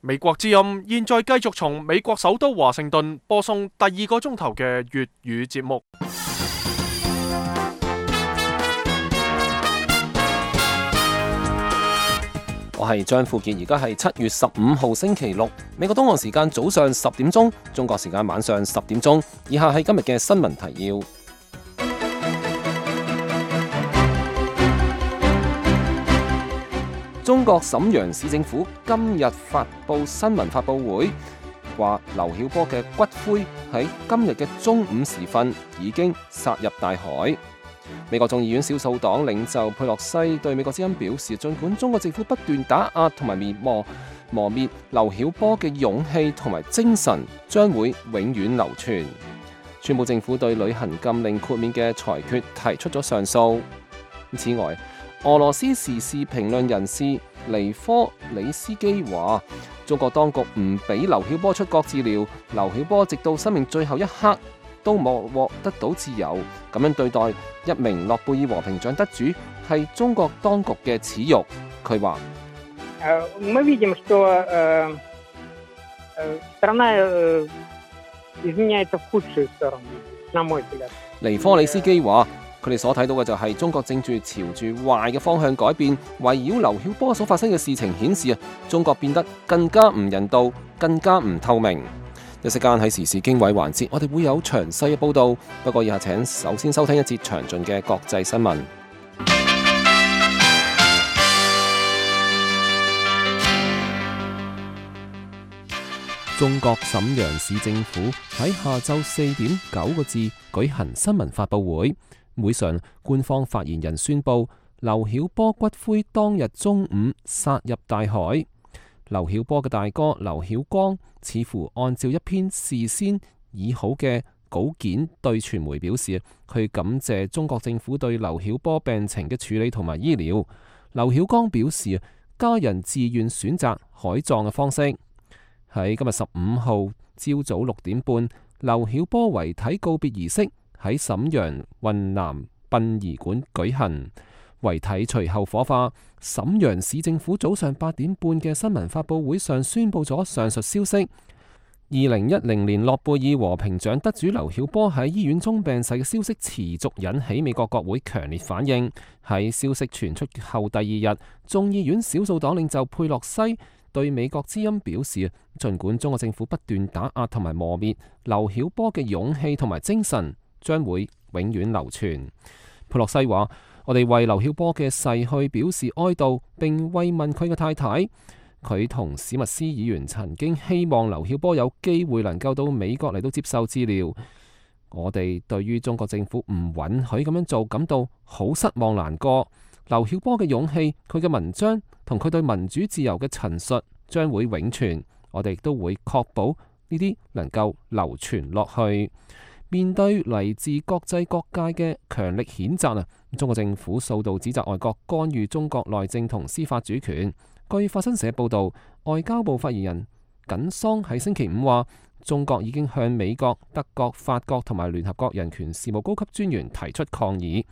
美國之音現在繼續從美國首都華盛頓播送第二個鐘頭嘅粵語節目。我係張富傑，而家係7月15號星期六，美國東岸時間早上10點鐘，中國時間晚上10點鐘。以下係今日嘅新聞提要。中國瀋陽市政府今日發佈新聞發佈會，話劉曉波嘅骨灰喺今日嘅中午時分已經撒入大海。美國眾議院少數黨領袖佩洛西對美國之音表示，儘管中國政府不斷打壓同埋磨滅劉曉波嘅勇氣同埋精神將會永遠流傳。宣布政府對旅行禁令豁免嘅裁決提出咗上訴。此外，俄羅斯時事評論人士尼科里斯基話，中國當局唔俾劉曉波出國治療，劉曉波直到生命最後一刻都冇獲得到自由，咁樣對待一名諾貝爾和平獎得主係中國當局嘅恥辱。佢話：尼科里斯基話，佢哋所睇到嘅就係中國正住朝住壞嘅方向改變，圍繞劉曉波所發生嘅事情顯示中國變得更加唔人道，更加唔透明。一息間喺時事經緯環節，我哋會有詳細嘅報道。不過以下請首先收聽一節詳盡嘅國際新聞。中國瀋陽市政府喺下晝4點9個字舉行新聞發佈會，會上官方發言人宣布，劉曉波骨灰當日中午撒入大海。劉曉波嘅大哥劉曉光似乎按照一篇事先擬好嘅稿件對傳媒表示，佢感謝中國政府對劉曉波病情嘅處理同埋醫療。劉曉光表示，家人自願選擇海葬嘅方式。喺今日15號朝早6點半，劉曉波遺體告別儀式喺瀋陽雲南殯儀館舉行。遺體隨後火化。瀋陽市政府早上8點半嘅新聞發佈會上宣布咗上述消息。2010年諾貝爾和平獎得主劉曉波喺醫院中病逝嘅消息持續引起美國國會強烈反應。喺消息傳出後第二日，眾議院少數黨領袖佩洛西對美國之音表示，儘管中國政府不斷打壓同埋磨滅劉曉波嘅勇氣同埋精神將會永遠流傳。佩洛西話：我哋為劉曉波嘅逝去表示哀悼，並慰問佢嘅太太。佢同史密斯議員曾經希望劉曉波有機會能夠到美國嚟到接受治療。我哋對於中國政府唔允許咁樣做感到好失望難過。劉曉波嘅勇氣、佢嘅文章同佢對民主自由嘅陳述將會永存。我哋亦都會確保呢啲能夠流傳落去。面對嚟自國際各界嘅強力譴責中國政府數度指責外國干預中國內政同司法主權。據法新社報道，外交部發言人耿桑喺星期5話，中國已經向美國、德國、法國同埋聯合國人權事務高級專員提出抗議。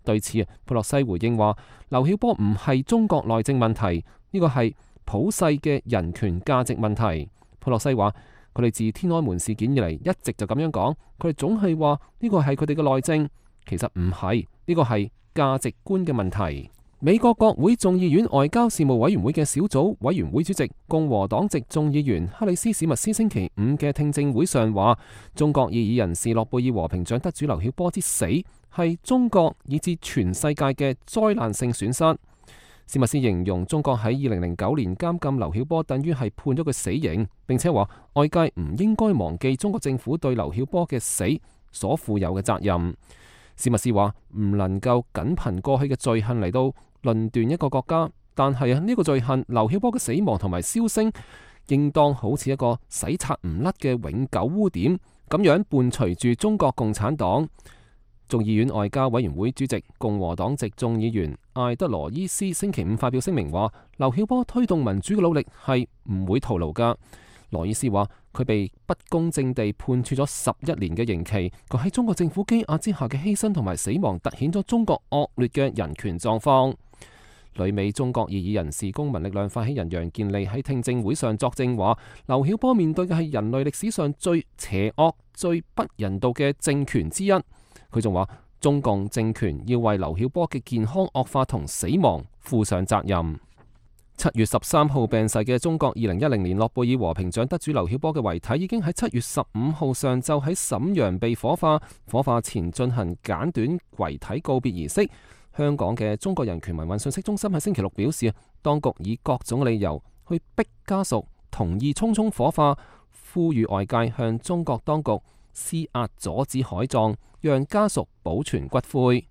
對此，佩洛西回應話，劉曉波唔係中國內政問題，呢個係普世嘅人權價值問題。佩洛西話，佢哋自天安門事件以嚟一直就咁樣講，佢哋總係話呢個係佢哋嘅內政，其實唔係，呢個係價值觀嘅問題。美國國會眾議院外交事務委員會嘅小組委員會主席共和黨籍眾議員克里斯史密斯星期5嘅聽證會上話，中國異議人士諾貝爾和平獎得主劉曉波之死係中國以至全世界嘅災難性損失。史密斯形容中國喺2009年監禁劉曉波等於係判咗佢死刑，並且話外界唔應該忘記中國政府對劉曉波嘅死所負有嘅責任。史密斯話唔能夠僅憑過去嘅罪行嚟到論斷一個國家，但係呢個罪行劉曉波嘅死亡同埋銷聲，應當好似一個洗刷唔甩嘅永久污點咁樣伴隨住中國共產黨。眾議院外交委員會主席共和黨籍眾議員艾德羅伊斯星期5發表聲明話，劉曉波推動民主嘅努力係唔會徒勞噶。羅伊斯話佢被不公正地判處咗11年嘅刑期，佢喺中國政府羈押之下嘅犧牲同埋死亡，凸顯咗中國惡劣嘅人權狀況。旅美中國異議人士公民力量發起人楊健利喺聽證會上作證話，劉曉波面對嘅係人類歷史上最邪惡、最不人道嘅政權之一。佢仲話，中共政權要為劉曉波嘅健康惡化同死亡負上責任。7月13號病逝嘅中國2010年諾貝爾和平獎得主劉曉波嘅遺體已經喺7月15號上晝喺瀋陽被火化，火化前進行簡短遺體告別儀式。香港嘅中國人權民運信息中心喺星期六表示，當局以各種理由去逼家屬同意匆匆火化，呼籲外界向中國當局施壓阻止海葬，讓家屬保存骨灰。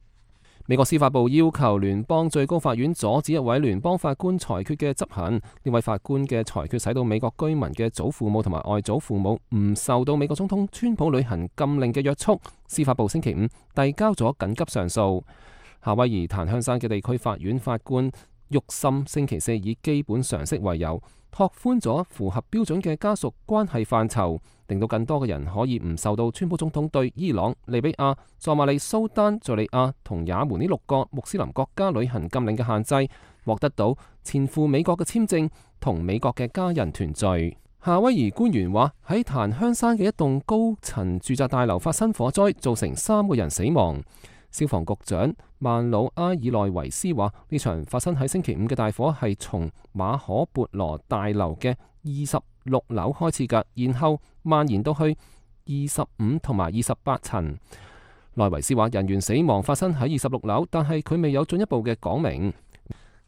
美國司法部要求聯邦最高法院阻止一位聯邦法官裁決嘅執行。呢位法官嘅裁決使到美國居民嘅祖父母同埋外祖父母唔受到美國總統川普履行禁令嘅約束。司法部星期五遞交咗緊急上訴。夏威夷檀香山嘅地區法院法官沃森星期四以基本常識為由，拓寬咗符合標準嘅家屬關係範疇，令到更多嘅人可以唔受到川普總統對伊朗、利比亞、索馬里、蘇丹、敘利亞同也門呢6個穆斯林國家旅行禁令嘅限制，獲得到前赴美國嘅簽證同美國嘅家人團聚。夏威夷官員話，喺檀香山嘅一棟高層住宅大樓發生火災，造成3個人死亡。消防局長曼魯阿爾內維斯話，呢場發生喺星期五嘅大火係從馬可孛羅大樓嘅26樓開始㗎，然後蔓延到去25同埋28層。內維斯話，人員死亡發生喺26樓，但係佢未有進一步嘅講明。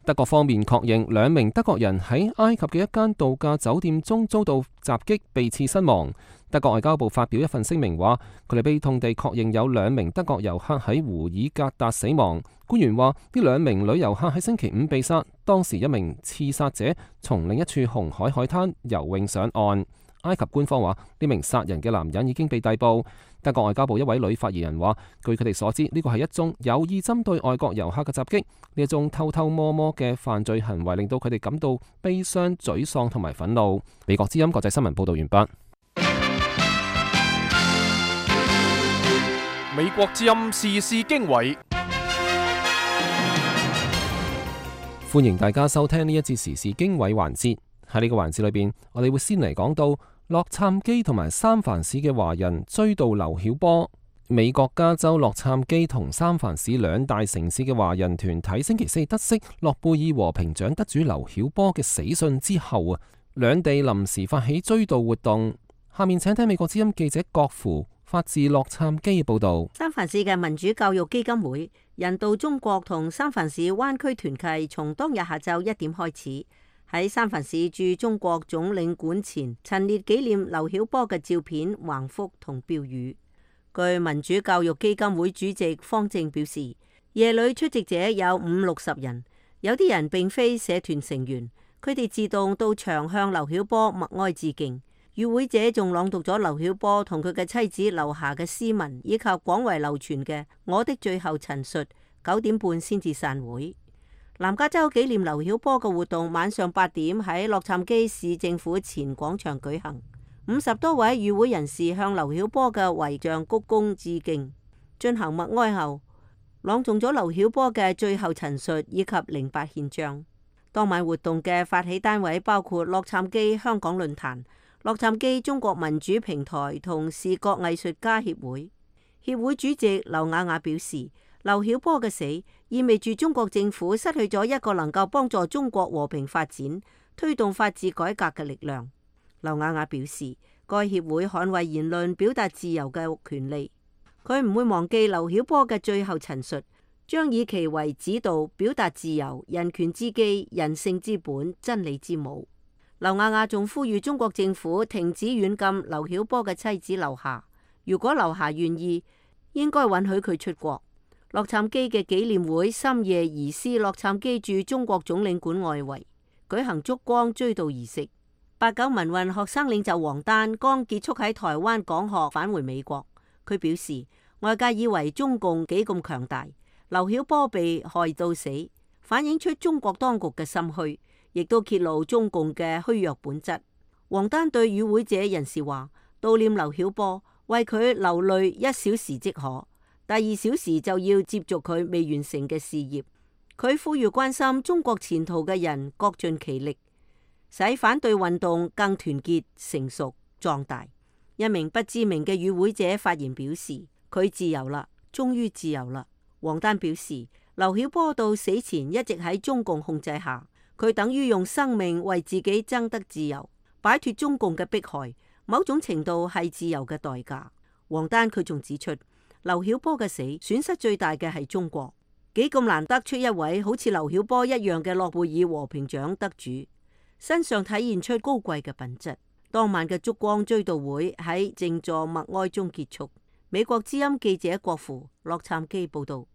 德國方面確認2名德國人喺埃及嘅一間度假酒店中遭到襲擊，被刺身亡。德國外交部發表一份聲明話，佢哋悲痛地確認有2名德國遊客喺胡爾格達死亡。官員話，呢2名女遊客喺星期五被殺，當時一名刺殺者從另一處紅海海灘游泳上岸。埃及官方話，呢名殺人嘅男人已經被逮捕。德國外交部一位女發言人話，據佢哋所知，呢個係一宗有意針對外國遊客嘅襲擊。呢一種偷偷摸摸嘅犯罪行為令到佢哋感到悲傷、沮喪同埋憤怒。美國之音國際新聞報道完畢。美國之音時事經緯，歡迎大家收聽呢一節時事經緯環節。喺呢個環節裏邊，我哋會先嚟講到洛杉磯同埋三藩市嘅華人追悼劉曉波。美國加州洛杉磯同三藩市2大城市嘅華人團體星期四得悉諾貝爾和平獎得主劉曉波嘅死訊之後兩地臨時發起追悼活動。下面請聽美國之音記者郭芙發自洛杉磯嘅報道。三藩市嘅民主教育基金會人道中國同三藩市灣區團契從當日下晝1點開始，喺三藩市駐中國總領館前陳列紀念劉曉波嘅照片、橫幅同標語。據民主教育基金會主席方正表示，夜裏出席者有50-60人，有啲人並非社團成員，佢哋自動到場向劉曉波默哀致敬。與會者仲朗讀咗劉曉波同佢嘅妻子留下嘅詩文，以及廣為流傳嘅《我的最後陳述》。9點半先至散會。南加州紀念劉曉波嘅活動晚上8點喺洛杉磯市政府前廣場舉行。50多位與會人士向劉曉波嘅遺像鞠躬致敬。進行默哀後，朗誦咗劉曉波嘅最後陳述以及08憲章。當晚活動嘅發起單位包括洛杉磯香港論壇、洛杉磯中國民主平台同視覺藝術家協會。協會主席劉雅雅表示，劉曉波嘅死意味住中國政府失去咗一個能夠幫助中國和平發展、推動法治改革嘅力量。劉雅雅表示，該協會捍衛言論表達自由嘅權利。佢唔會忘記劉曉波嘅最後陳述，將以其為指導，表達自由、人權之基、人性之本、真理之母。劉雅雅仲呼籲中國政府停止軟禁劉曉波嘅妻子劉霞，如果劉霞願意，應該允許佢出國。洛杉磯嘅紀念會深夜移師洛杉磯駐中國總領館外圍，舉行燭光追悼儀式。89民運學生領袖王丹剛結束喺台灣講學返回美國，佢表示外界以為中共幾咁強大，劉曉波被害到死，反映出中國當局嘅心虛，亦都揭露中共嘅虛弱本質。王丹對與會者人士話：悼念劉曉波，為佢流淚1小時即可，第2小時就要接續佢未完成嘅事業。佢呼籲關心中國前途嘅人各盡其力，使反對運動更團結、成熟、壯大。一名不知名嘅與會者發言表示，佢自由啦，終於自由啦。王丹表示，劉曉波到死前一直喺中共控制下，佢等於用生命為自己爭得自由，擺脫中共嘅迫害，某種程度係自由嘅代價。王丹佢仲指出，劉曉波嘅死損失最大嘅係中國，幾咁難得出一位好似劉曉波一樣嘅諾貝爾和平獎得主，身上體現出高貴嘅品質。當晚嘅燭光追悼會喺靜坐默哀中結束。美國之音記者郭芙、洛杉磯報道。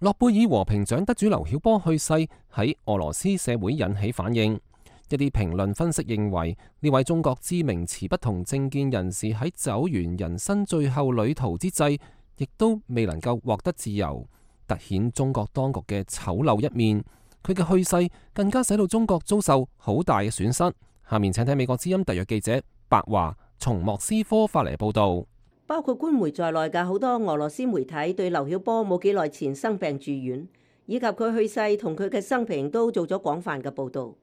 諾貝爾和平獎得主劉曉波去世，喺俄羅斯社會引起反應。一啲評論分析認為，呢位中國知名持不同政見人士喺走完人生最後旅途之際，亦都未能夠獲得自由，凸顯中國當局嘅醜陋一面。佢嘅去世更加使到中國遭受好大嘅損失。下面請睇美國之音特約記者白華從莫斯科發嚟報道。包括官媒在內嘅好多俄羅斯媒體對劉曉波冇幾耐前生病住院，以及佢去世同佢嘅生平都做咗廣泛嘅報道。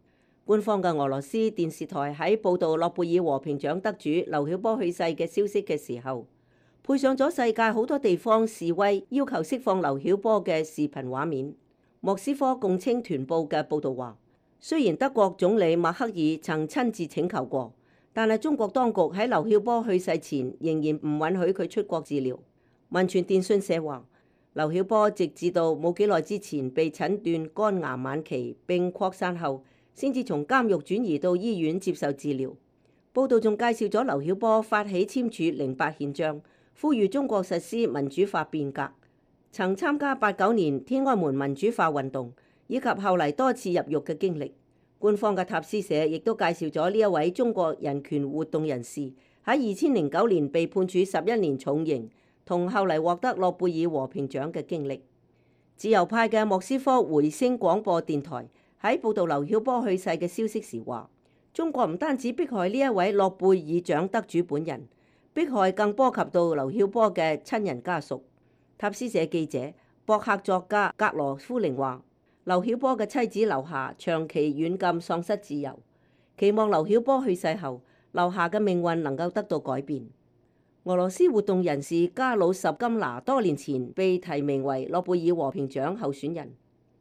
官方嘅俄羅斯電視台喺報道諾貝爾和平獎得主劉曉波去世嘅消息嘅時候，配上咗世界好多地方示威要求釋放劉曉波嘅視頻畫面。莫斯科共青團報嘅報道話，雖然德國總理默克爾曾親自請求過，但係中國當局喺劉曉波去世前仍然唔允許佢出國治療。文傳電訊社話，劉曉波直至到冇幾耐之前被診斷肝癌晚期並擴散後，先至從監獄轉移到醫院接受治療。報道仲介紹咗劉曉波發起簽署08憲章，呼籲中國實施民主化變革，曾參加89年天安門民主化運動，以及後嚟多次入獄嘅經歷。官方嘅塔斯社亦都介紹咗呢一位中國人權活動人士喺2009年被判處11年重刑，同後嚟獲得諾貝爾和平獎嘅經歷。自由派嘅莫斯科回聲廣播電台喺報導劉曉波去世嘅消息時話，中國唔單止迫害呢一位諾貝爾獎得主本人，迫害更波及到劉曉波嘅親人家屬。塔斯社記者、博客作家格羅夫寧話，劉曉波嘅妻子劉霞長期軟禁喪失自由，期望劉曉波去世後，劉霞嘅命運能夠得到改變。俄羅斯活動人士加魯什金拿多年前被提名為諾貝爾和平獎候選人。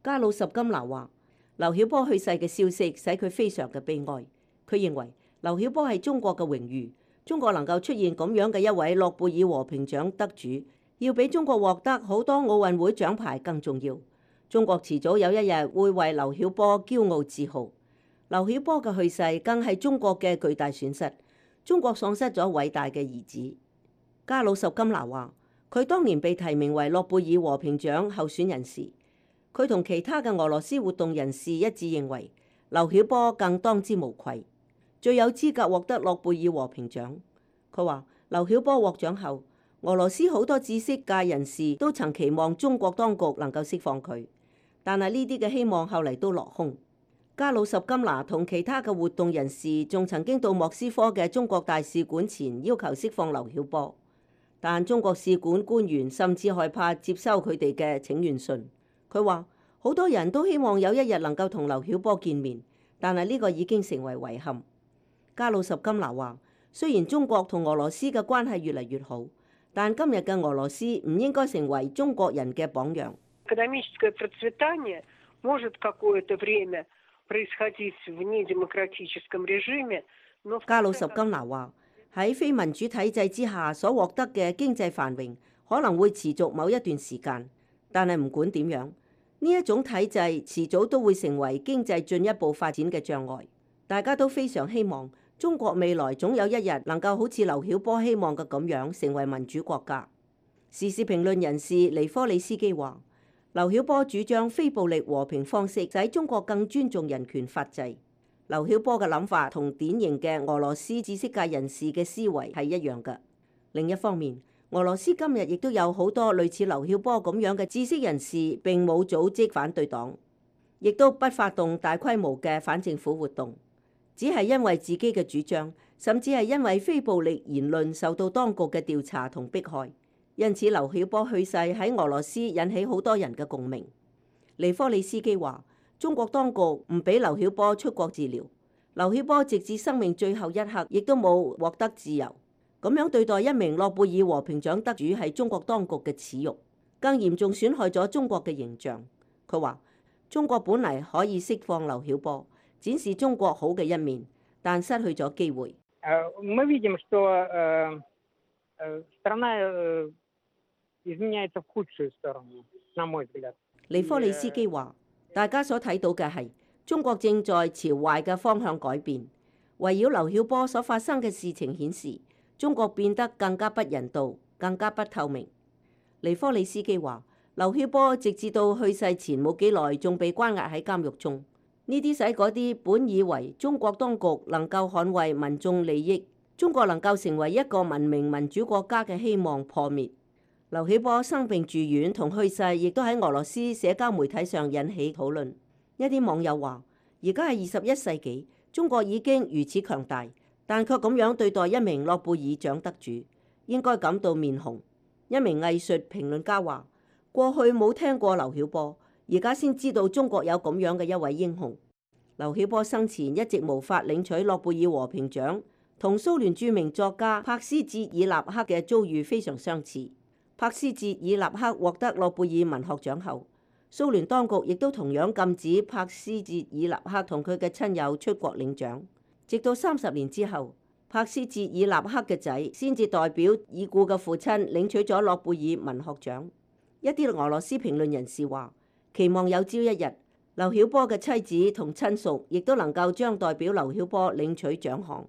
加魯什金拿話，劉曉波去世嘅消息使佢非常嘅悲哀。佢認為劉曉波係中國嘅榮譽，中國能夠出現咁樣嘅一位諾貝爾和平獎得主，要比中國獲得好多奧運會獎牌更重要。中國遲早有一日會為劉曉波驕傲自豪。劉曉波嘅去世更係中國嘅巨大損失，中國喪失咗偉大嘅兒子。加魯什金拿話，佢當年被提名為諾貝爾和平獎候選人時，佢同其他嘅俄羅斯活動人士一致認為劉曉波更當之無愧，最有資格獲得諾貝爾和平獎。佢話劉曉波獲獎後，俄羅斯好多知識界人士都曾期望中國當局能夠釋放佢，但係呢啲嘅希望後嚟都落空。加魯什金拿同其他嘅活動人士仲曾經到莫斯科嘅中國大使館前要求釋放劉曉波，但中國使館官員甚至害怕接收佢哋嘅請願信。佢話好多人都希望有一日能夠同劉曉波見面，但係呢個已經成為遺憾。加魯什金拿話，雖然中國同俄羅斯嘅關係越嚟越好，但今日嘅俄羅斯唔應該成為中國人嘅榜樣。加魯什金拿話，喺非民主體制之下所獲得嘅經濟繁榮可能會持續某一段時間，但係唔管點樣，呢一種體制遲早都會成為經濟進一步發展嘅障礙。大家都非常希望中國未來總有一日能夠好似劉曉波希望嘅咁樣成為民主國家。時事評論人士尼科里斯基話，劉曉波主張非暴力和平方式，使中國更尊重人權法制。劉曉波嘅諗法同典型嘅俄羅斯知識界人士嘅思維係一樣嘅。另一方面，俄羅斯今日亦都有好多類似劉曉波咁樣嘅知識人士，並冇組織反對黨，亦都不發動大規模嘅反政府活動，只係因為自己嘅主張，甚至係因為非暴力言論受到當局嘅調查同迫害。因此劉曉波去世喺俄羅斯引起好多人嘅共鳴。尼科利斯基話：中國當局唔俾劉曉波出國治療，劉曉波直至生命最後一刻亦都冇獲得自由。咁樣對待一名諾貝爾和平獎得主係中國當局嘅恥辱，更嚴重損害咗中國嘅形象。佢話：中國本嚟可以釋放劉曉波，展示中國好嘅一面，但失去咗機會。尼科利斯基話：大家所睇到嘅係中國正在朝壞嘅方向改變。圍繞劉曉波所發生嘅事情顯示，中國變得更加不人道，更加不透明。尼科利斯基話：劉曉波直至到去世前冇幾耐，仲被關押喺監獄中。呢啲使嗰啲本以為中國當局能夠捍衛民眾利益，中國能夠成為一個文明民主國家嘅希望破滅。劉曉波生病住院同去世，亦都喺俄羅斯社交媒體上引起討論。一啲網友話：而家係21世紀，中國已經如此強大，但卻咁樣對待一名諾貝爾獎得主，應該感到面紅。一名藝術評論家話：過去冇聽過劉曉波，而家先知道中國有咁樣嘅一位英雄。劉曉波生前一直無法領取諾貝爾和平獎，同蘇聯著名作家帕斯捷爾納克嘅遭遇非常相似。帕斯捷爾納克獲得諾貝爾文學獎後，蘇聯當局亦都同樣禁止帕斯捷爾納克同佢嘅親友出國領獎。直到30年之後，帕斯捷爾納克嘅仔先至代表已故嘅父親領取咗諾貝爾文學獎。一啲俄羅斯評論人士話：期望有朝一日，劉曉波嘅妻子同親屬亦都能夠將代表劉曉波領取獎項。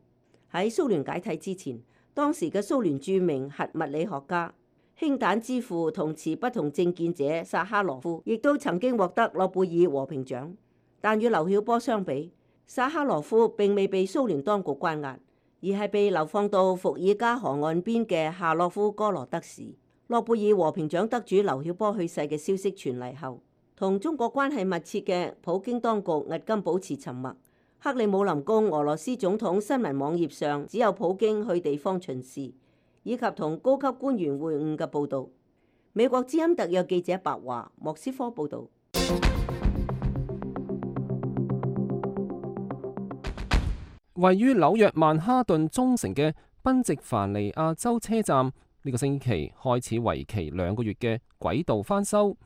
喺蘇聯解體之前，當時嘅蘇聯著名核物理學家、氫彈之父同持不同政見者薩哈羅夫，亦都曾經獲得諾貝爾和平獎。但與劉曉波相比，薩哈羅夫並未被蘇聯當局關押，而係被流放到伏爾加河岸邊嘅夏洛夫哥羅德市。諾貝爾和平獎得主劉曉波去世嘅消息傳嚟後，同中國關係密切嘅普京當局迄今保持沉默。克里姆林宮俄羅斯總統新聞網頁上只有普京去地方巡視，以及同高級官員會晤嘅報導。美國之音特約記者白華莫斯科報導。位於紐約曼哈頓中城嘅賓夕凡尼亞州車站，呢個星期開始為期2個月嘅軌道翻修。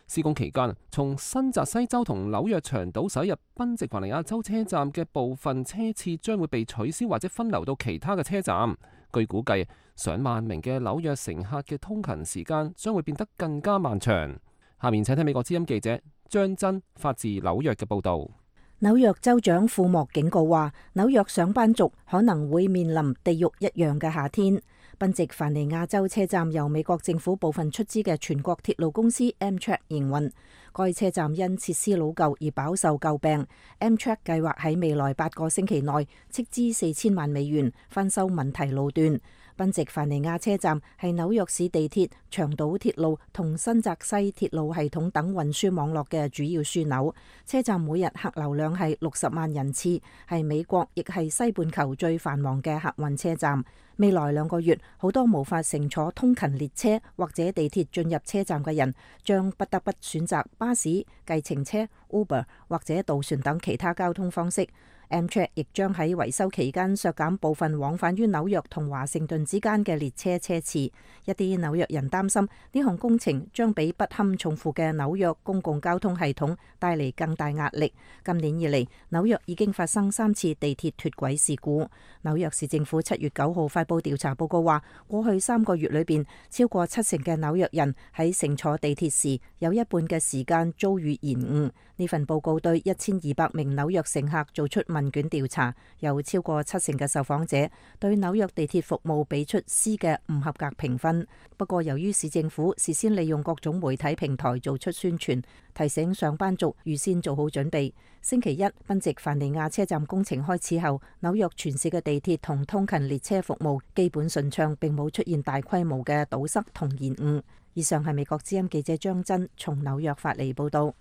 施工期間，從新澤西州同紐約長島駛入賓夕凡尼亞州車站嘅部分車次將會被取消或者分流到其他嘅車站。據估計，上萬名嘅紐約乘客嘅通勤時間將會變得更加漫長。下面請聽美國之音記者張真發自紐約嘅報導。紐約州長庫莫警告話，紐約上班族可能會面臨地獄一樣嘅夏天。賓夕凡尼亞州車站由美國政府部分出資嘅全國鐵路公司 Amtrak 營運，該車站因設施老舊而飽受詬病。Amtrak 計劃喺未來8個星期內斥資4000萬美元翻修問題路段。賓夕凡尼亞車站係紐約市地鐵、長島鐵路同新澤西鐵路系統等運輸網絡嘅主要樞紐。車站每日客流量係60萬人次，係美國亦係西半球最繁忙嘅客運車站。未來2個月，好多無法乘坐通勤列車或者地鐵進入車站嘅人，將不得不選擇巴士、計程車、Uber 或者渡船等其他交通方式。Amtrak 亦將喺維修期間削減部分往返於紐約同華盛頓之間嘅列車車次。一啲紐約人擔心呢項工程將比不堪重負嘅紐約公共交通系統帶嚟更大壓力。今年以嚟，紐約已經發生3次地鐵脫軌事故。紐約市政府7月9號發布調查報告話，過去3個月裏邊，超過70%嘅紐約人喺乘坐地鐵時有一半嘅時間遭遇延誤。呢份報告對1200名紐約乘客做出問卷調查，有超過70%嘅受訪者對紐約地鐵服務俾出 C 嘅唔合格評分。不過，由於市政府事先利用各種媒體平台做出宣傳，提醒上班族預先做好準備。星期一，賓夕凡尼亞車站工程開始後，紐約全市嘅地鐵同通勤列車服務基本順暢，並冇出現大規模嘅堵塞同延誤。以上係美國之音記者張真從紐約發嚟報道。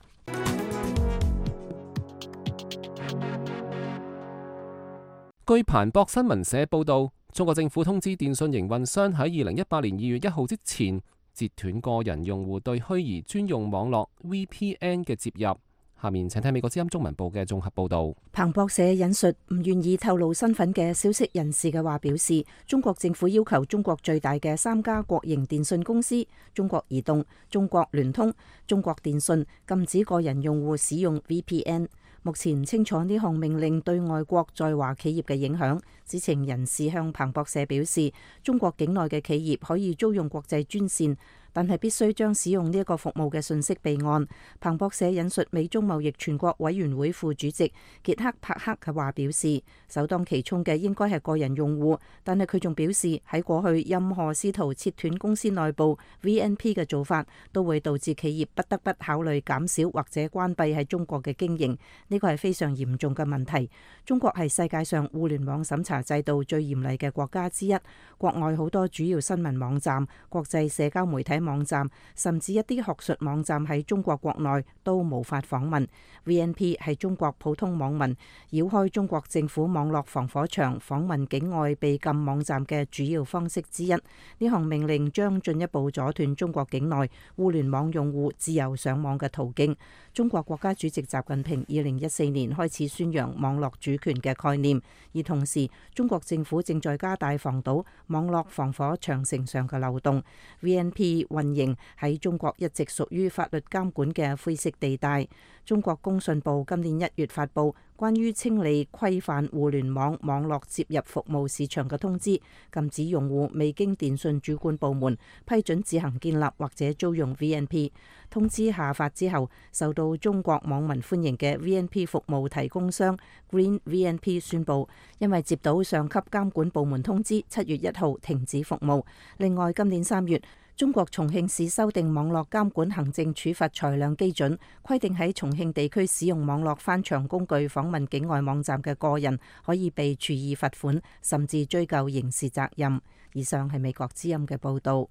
據彭博新聞社報道，中國政府通知電信營運商喺2018年2月1號之前截斷個人用戶對虛擬專用網絡 VPN 嘅接入。下面請睇美國之音中文部嘅綜合報導。彭博社引述唔願意透露身份嘅消息人士嘅話表示，中國政府要求中國最大嘅3家國營電信公司中國移動、中國聯通、中國電信禁止個人用戶使用 VPN。目前唔清楚呢項命令對外國在華企業嘅影響。知情人士向彭博社表示，中國境內嘅企業可以租用國際專線，但係必須將使用呢一個服務嘅信息備案。彭博社引述美中貿易全國委員會副主席傑克帕克嘅話表示，首當其衝嘅應該係個人用戶，但係佢仲表示喺過去任何試圖切斷公司內部 VNP 嘅做法，都會導致企業不得不考慮減少或者關閉喺中國嘅經營。呢個係非常嚴重嘅問題。中國係世界上互聯網審查制度最嚴厲嘅國家之一，國外好多主要新聞網站、國際社交媒體網站，甚至一啲學術網站喺中國國內都無法訪問。VNP 係中國普通網民繞開中國政府網絡防火牆訪問境外被禁網站嘅主要方式之一。呢項命令將進一步阻斷中國境內互聯網用戶自由上網嘅途徑。中國國家主席習近平2014年開始宣揚網絡主權嘅概念，而同時中國政府正在加大防堵網絡防火長城上嘅漏洞。VNP 運營喺中國一直屬於法律監管嘅灰色地帶。中國工信部今年1月發布關於清理規範互聯網網絡接入服務市場嘅通知，禁止用戶未經電信主管部門批准自行建立或者租用 VNP。通知下發之後，受到中國網民歡迎嘅 VNP 服務提供商 Green VNP 宣布，因為接到上級監管部門通知，7月1號停止服務。另外，今年3月，中國重慶市修訂網絡監管行政處罰裁量基準，規定喺重慶地區使用網絡翻牆工具訪問境外網站嘅個人，可以被處以罰款，甚至追究刑事責任。以上係美國之音嘅報導。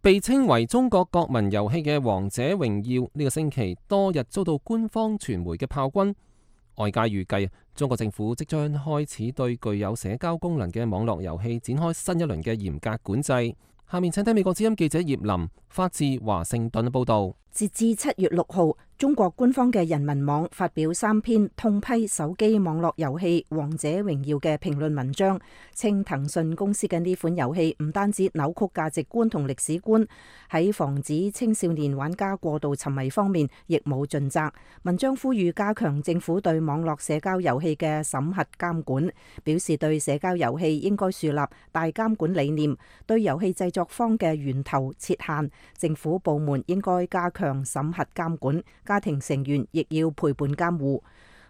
被稱為中國國民遊戲嘅《王者榮耀》呢個星期多日遭到官方傳媒嘅炮轟。外界預計中國政府即將開始對具有社交功能嘅網絡遊戲展開新一輪嘅嚴格管制。下面請睇美國之音記者葉林發自華盛頓嘅報導。截至7月6號，中國官方嘅人民網發表3篇痛批手機網絡遊戲《王者榮耀》嘅評論文章，稱騰訊公司嘅呢款遊戲唔單止扭曲價值觀同歷史觀，喺防止青少年玩家過度沉迷方面亦冇盡責。文章呼籲加強政府對網絡社交遊戲嘅審核監管，表示對社交遊戲應該樹立大監管理念，對遊戲製作方嘅源頭設限，政府部門應該加強審核監管，家庭成員亦要陪伴監護。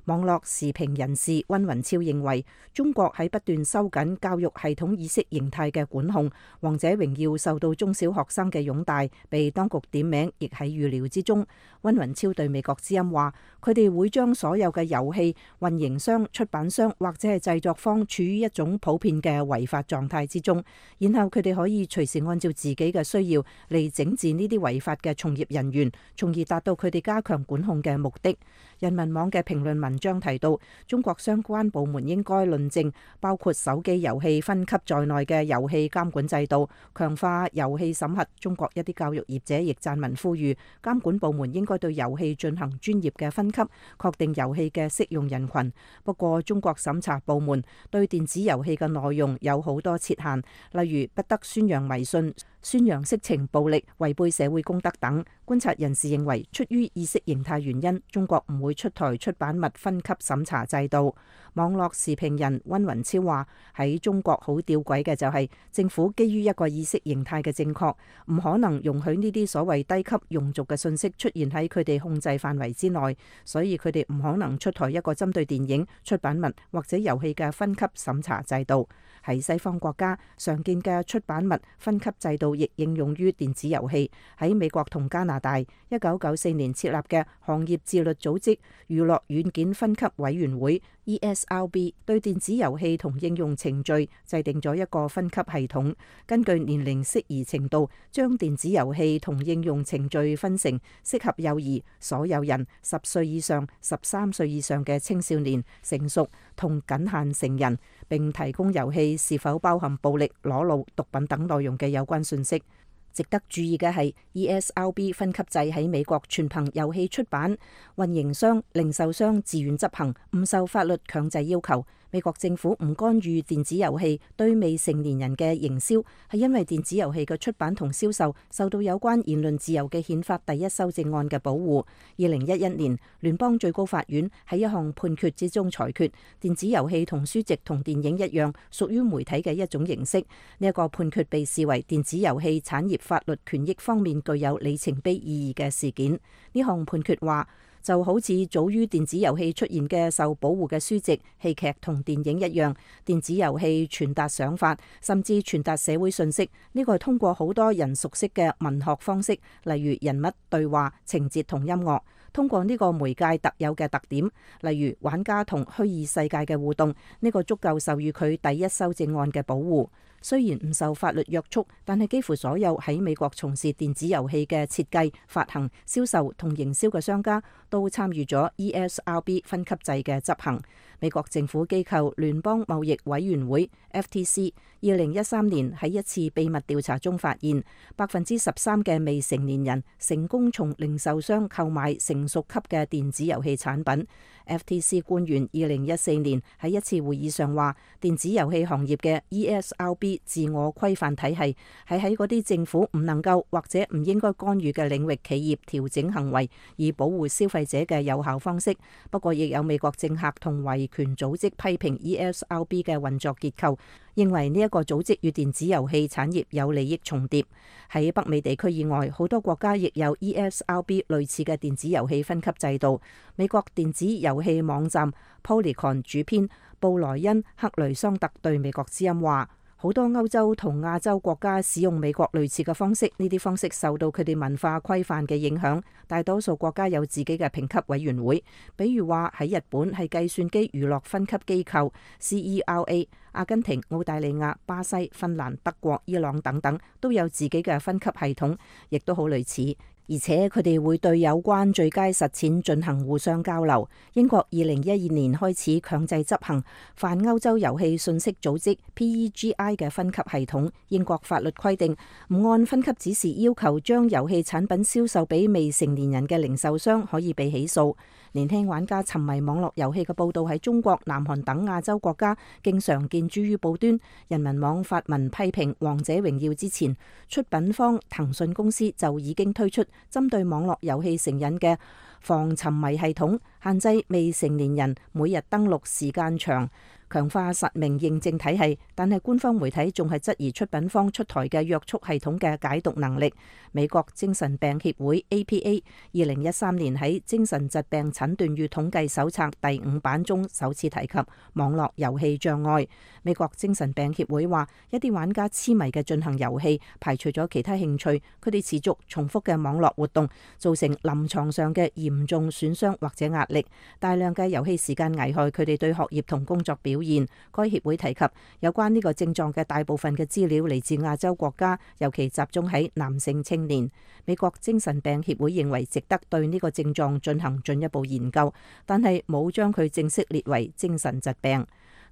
網絡時評人士溫雲超認為，中國喺不斷收緊教育系統意識形態嘅管控，王者榮耀受到中小學生嘅擁戴，被當局點名亦喺預料之中。溫雲超對美國之音話，佢哋會將所有嘅遊戲運營商、出版商或者係製作方處於一種普遍嘅違法狀態之中，然後佢哋可以隨時按照自己嘅需要嚟整治呢啲違法嘅從業人員，從而達到佢哋加強管控嘅目的。人民網嘅評論文章提到，中國相關部門應該論證包括手機遊戲分級在內嘅遊戲監管制度，強化遊戲審核。中國一啲教育業者亦撰文呼籲監管部門應該對遊戲進行專業嘅分級，確定遊戲嘅適用人群。不過，中國審查部門對電子遊戲嘅內容有好多設限，例如不得宣揚迷信、宣揚色情暴力、違背社會公德等。觀察人士認為，出於意識形態原因，中國唔會出台出版物分級審查制度。網絡時評人溫雲超話，喺中國好弔詭嘅就係政府基於一個意識形態嘅正確，唔可能容許呢啲所謂低級庸俗嘅信息出現喺佢哋控制範圍之內，所以佢哋唔可能出台一個針對電影、出版物或者遊戲嘅分級審查制度。喺西方國家，常見嘅出版物分級制度亦應用於電子遊戲。喺美國同加拿大，1994年設立嘅行業自律組織娛樂軟件分級委員會 ESRB 對電子遊戲同應用程序制定咗一個分級系統，根據年齡適宜程度，將電子遊戲同應用程序分成適合幼兒、所有人、10歲以上、13歲以上嘅青少年、成熟同僅限成人，並提供遊戲是否包含暴力、裸露、毒品等內容嘅有關信息。值得注意嘅係 ESRB 分級制喺美國全憑遊戲出版、運營商、零售商自願執行，唔受法律強制要求。美國政府唔干預電子遊戲對未成年人嘅營銷，係因為電子遊戲嘅出版同銷售受到有關言論自由嘅憲法第一修正案嘅保護。2011年，聯邦最高法院喺一項判決之中裁決，電子遊戲同書籍同電影一樣，屬於媒體嘅一種形式。呢一個判決被視為電子遊戲產業法律權益方面具有里程碑意義嘅事件。呢項判決話，就好似早於電子遊戲出現嘅受保護嘅書籍、戲劇同電影一樣，電子遊戲傳達想法，甚至傳達社會信息。呢個係通過好多人熟悉嘅文學方式，例如人物對話、情節同音樂。通過呢個媒介特有嘅特點，例如玩家同虛擬世界嘅互動，呢個足夠授予佢第一修正案嘅保護。雖然唔受法律約束，但係幾乎所有喺美國從事電子遊戲嘅設計、發行、銷售同營銷嘅商家都參與咗 ESRB 分級制嘅執行。美國政府機構聯邦貿易委員會 FTC 2013年喺一次秘密調查中發現，13%嘅未成年人成功從零售商購買成熟級嘅電子遊戲產品。FTC 官員2014年喺一次會議上話，電子遊戲行業嘅 ESRB 自我規範體系係喺嗰啲政府唔能夠或者唔應該干預嘅領域企業調整行為，以保護消費者嘅有效方式。不過，亦有美國政客同維權組織批評 ESRB 嘅運作結構，認為呢一個組織與電子遊戲產業有利益重疊。喺北美地區以外，好多國家亦有 ESRB 類似嘅電子遊戲分級制度。美國電子遊戲網站 Polygon 主編布萊恩·克雷桑特對美國之音話，好多歐洲同亞洲國家使用美國類似嘅方式，呢啲方式受到佢哋文化規範嘅影響。大多數國家有自己嘅評級委員會，比如話喺日本係計算機娛樂分級機構 CERA， 阿根廷、澳大利亞、巴西、芬蘭、德國、伊朗等等都有自己嘅分級系統，亦都好類似。而且佢哋會對有關最佳實踐進行互相交流。英國2012年開始強制執行泛歐洲遊戲信息組織 PEGI 嘅分級系統。英國法律規定，唔按分級指示要求將遊戲產品銷售俾未成年人嘅零售商可以被起訴。年輕玩家沉迷網絡遊戲嘅報道喺中國、南韓等亞洲國家經常見諸於報端。人民網發文批評《王者榮耀》之前，出品方騰訊公司就已經推出針對網絡遊戲成癮嘅防沉迷系統，限制未成年人每日登錄時間長，強化實名認證體系。但係官方媒體仲係質疑出品方出台嘅約束系統嘅解讀能力。美國精神病協會 APA 2013年喺精神疾病診斷與統計手冊第5版中首次提及網絡遊戲障礙。美國精神病協會話，一啲玩家痴迷嘅進行遊戲，排除咗其他興趣，佢哋持續重複嘅網絡活動造成臨床上嘅嚴重損傷或者壓力。大量嘅遊戲時間危害佢哋對學業同工作表現。該協會提及有關呢個症狀嘅大部分嘅資料嚟自亞洲國家，尤其集中喺男性青年。美國精神病協會認為值得對呢個症狀進行進一步研究，但係冇將佢正式列為精神疾病。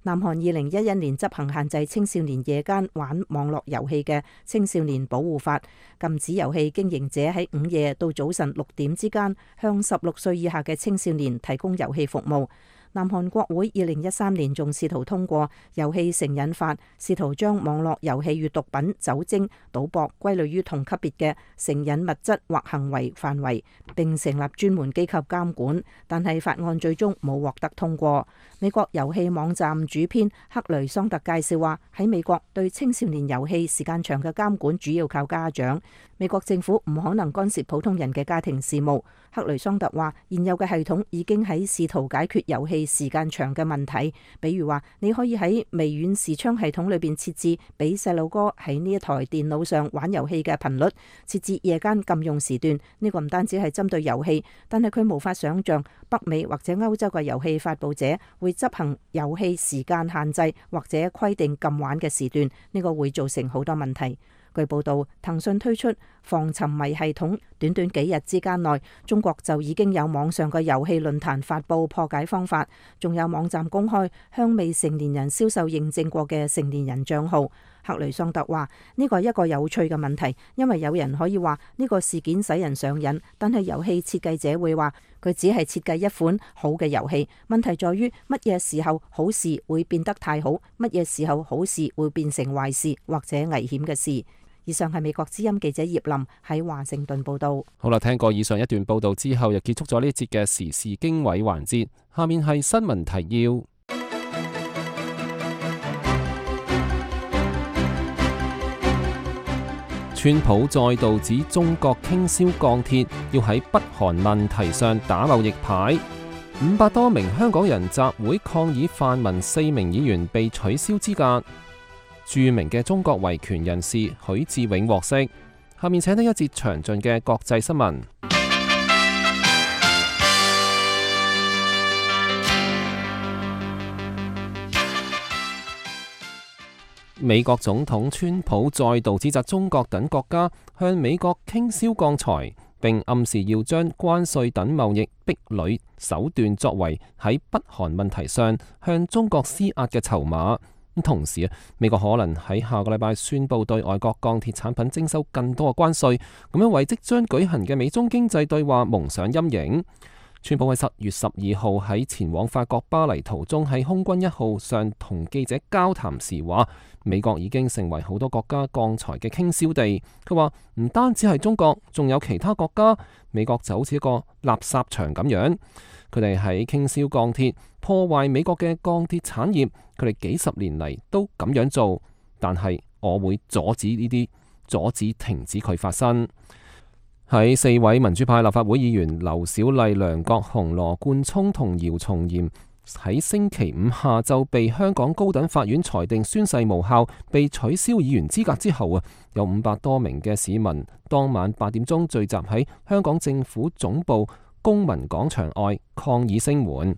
南韓2011年執行限制青少年夜間玩網絡遊戲嘅青少年保護法，禁止遊戲經營者喺午夜到早晨6點之間向16歲以下嘅青少年提供遊戲服務。南韓國會2013年仲試圖通過遊戲成癮法，試圖將網絡遊戲與毒品、酒精、賭博歸類於同級別嘅成癮物質或行為範圍，並成立專門機構監管，但係法案最終冇獲得通過。美國遊戲網站主編克雷桑特介紹話，喺美國對青少年遊戲時間長嘅監管主要靠家長，美國政府唔可能干涉普通人嘅家庭事務。克雷桑特話，現有嘅系統已經喺試圖解決遊戲戲時間長嘅問題。比如話，你可以喺微軟視窗系統裏邊設置俾細路哥喺呢一台電腦上玩遊戲嘅頻率，設置夜間禁用時段。呢個唔單止係針對遊戲，但係佢無法想象北美或者歐洲嘅遊戲發佈者會執行遊戲時間限制或者規定禁玩嘅時段，呢個會造成好多問題。據報道，騰訊推出防沉迷系統，短短幾日之間內，中國就已經有網上嘅遊戲論壇發佈破解方法，仲有網站公開向未成年人銷售認證過嘅成年人賬號。克雷桑特話：呢個係一個有趣嘅問題，因為有人可以話呢個事件使人上癮，但係遊戲設計者會話佢只係設計一款好嘅遊戲。問題在於乜嘢時候好事會變得太好，乜嘢時候好事會變成壞事或者危險嘅事。以上係美國之音記者葉林喺華盛頓報道。好啦，聽過以上一段報道之後，又結束咗呢一節嘅時事經緯環節。下面係新聞提要。川普再度指中國傾銷鋼鐵，要喺北韓問題上打貿易牌。500多名香港人集會抗議泛民4名議員被取消資格。著名嘅中國維權人士許志永獲釋。下面請聽一節詳盡嘅國際新聞。美國總統川普再度指責中國等國家向美國傾銷鋼材，並暗示要將關稅等貿易壁壘手段作為喺北韓問題上向中國施壓嘅籌碼。同時美國可能喺下個禮拜宣布對外國鋼鐵產品徵收更多嘅關稅，咁樣為即將舉行嘅美中經濟對話蒙上陰影。川普喺10月12號喺前往法國巴黎途中喺空軍1號上同記者交談時話，美國已經成為好多國家鋼材嘅傾銷地。佢話唔單止係中國，仲有其他國家，美國就好似一個垃圾場咁樣。佢哋喺傾銷鋼鐵，破壞美國嘅鋼鐵產業。佢哋幾十年嚟都咁樣做，但係我會阻止呢啲，阻止停止佢發生。喺4位民主派立法會議員劉小麗、梁國雄、羅冠聰同姚松炎喺星期五下晝被香港高等法院裁定宣誓無效，被取消議員資格之後有500多名嘅市民當晚8點鐘聚集喺香港政府總部公民廣場外抗議聲援。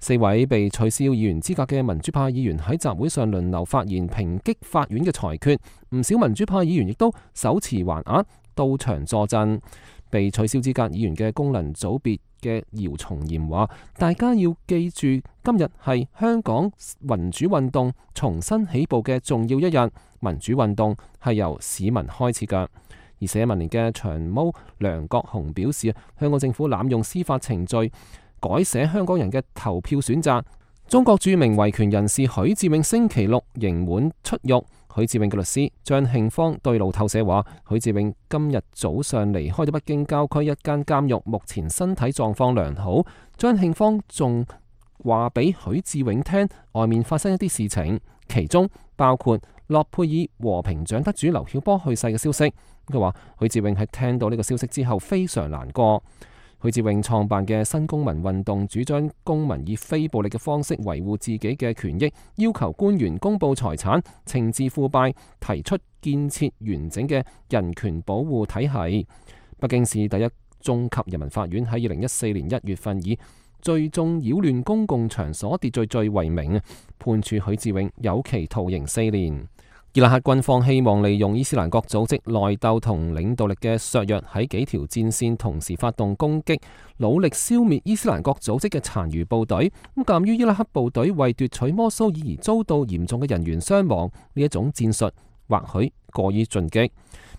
4位被取消議員資格嘅民主派議員喺集會上輪流發言，抨擊法院嘅裁決。唔少民主派議員亦都手持橫額到場助陣。被取消資格議員嘅功能組別嘅姚松炎話：大家要記住，今日係香港民主運動重新起步嘅重要一日。民主運動係由市民開始㗎。而社民連嘅長毛梁國雄表示，香港政府濫用司法程序，改寫香港人嘅投票選擇。中國著名維權人士許志永星期六刑滿出獄。許志永嘅律師張慶芳對路透社話，許志永今日早上離開咗北京郊區一間監獄，目前身體狀況良好。張慶芳仲話俾許志永聽，外面發生一啲事情，其中包括諾貝爾和平獎得主劉曉波去世嘅消息。佢話許志永喺聽到呢個消息之後非常難過。許志永創辦嘅新公民運動主張公民以非暴力嘅方式維護自己嘅權益，要求官員公布財產、懲治腐敗，提出建設完整嘅人權保護體系。北京市第一中級人民法院喺2014年1月份以聚眾擾亂公共場所秩序罪為名，判處許志永有期徒刑4年。伊拉克軍方希望利用伊斯蘭國組織內鬥同領導力嘅削弱，喺幾條戰線同時發動攻擊，努力消滅伊斯蘭國組織嘅殘餘部隊。咁鑑於伊拉克部隊為奪取摩蘇爾而遭到嚴重嘅人員傷亡，呢一種戰術或許過於進擊。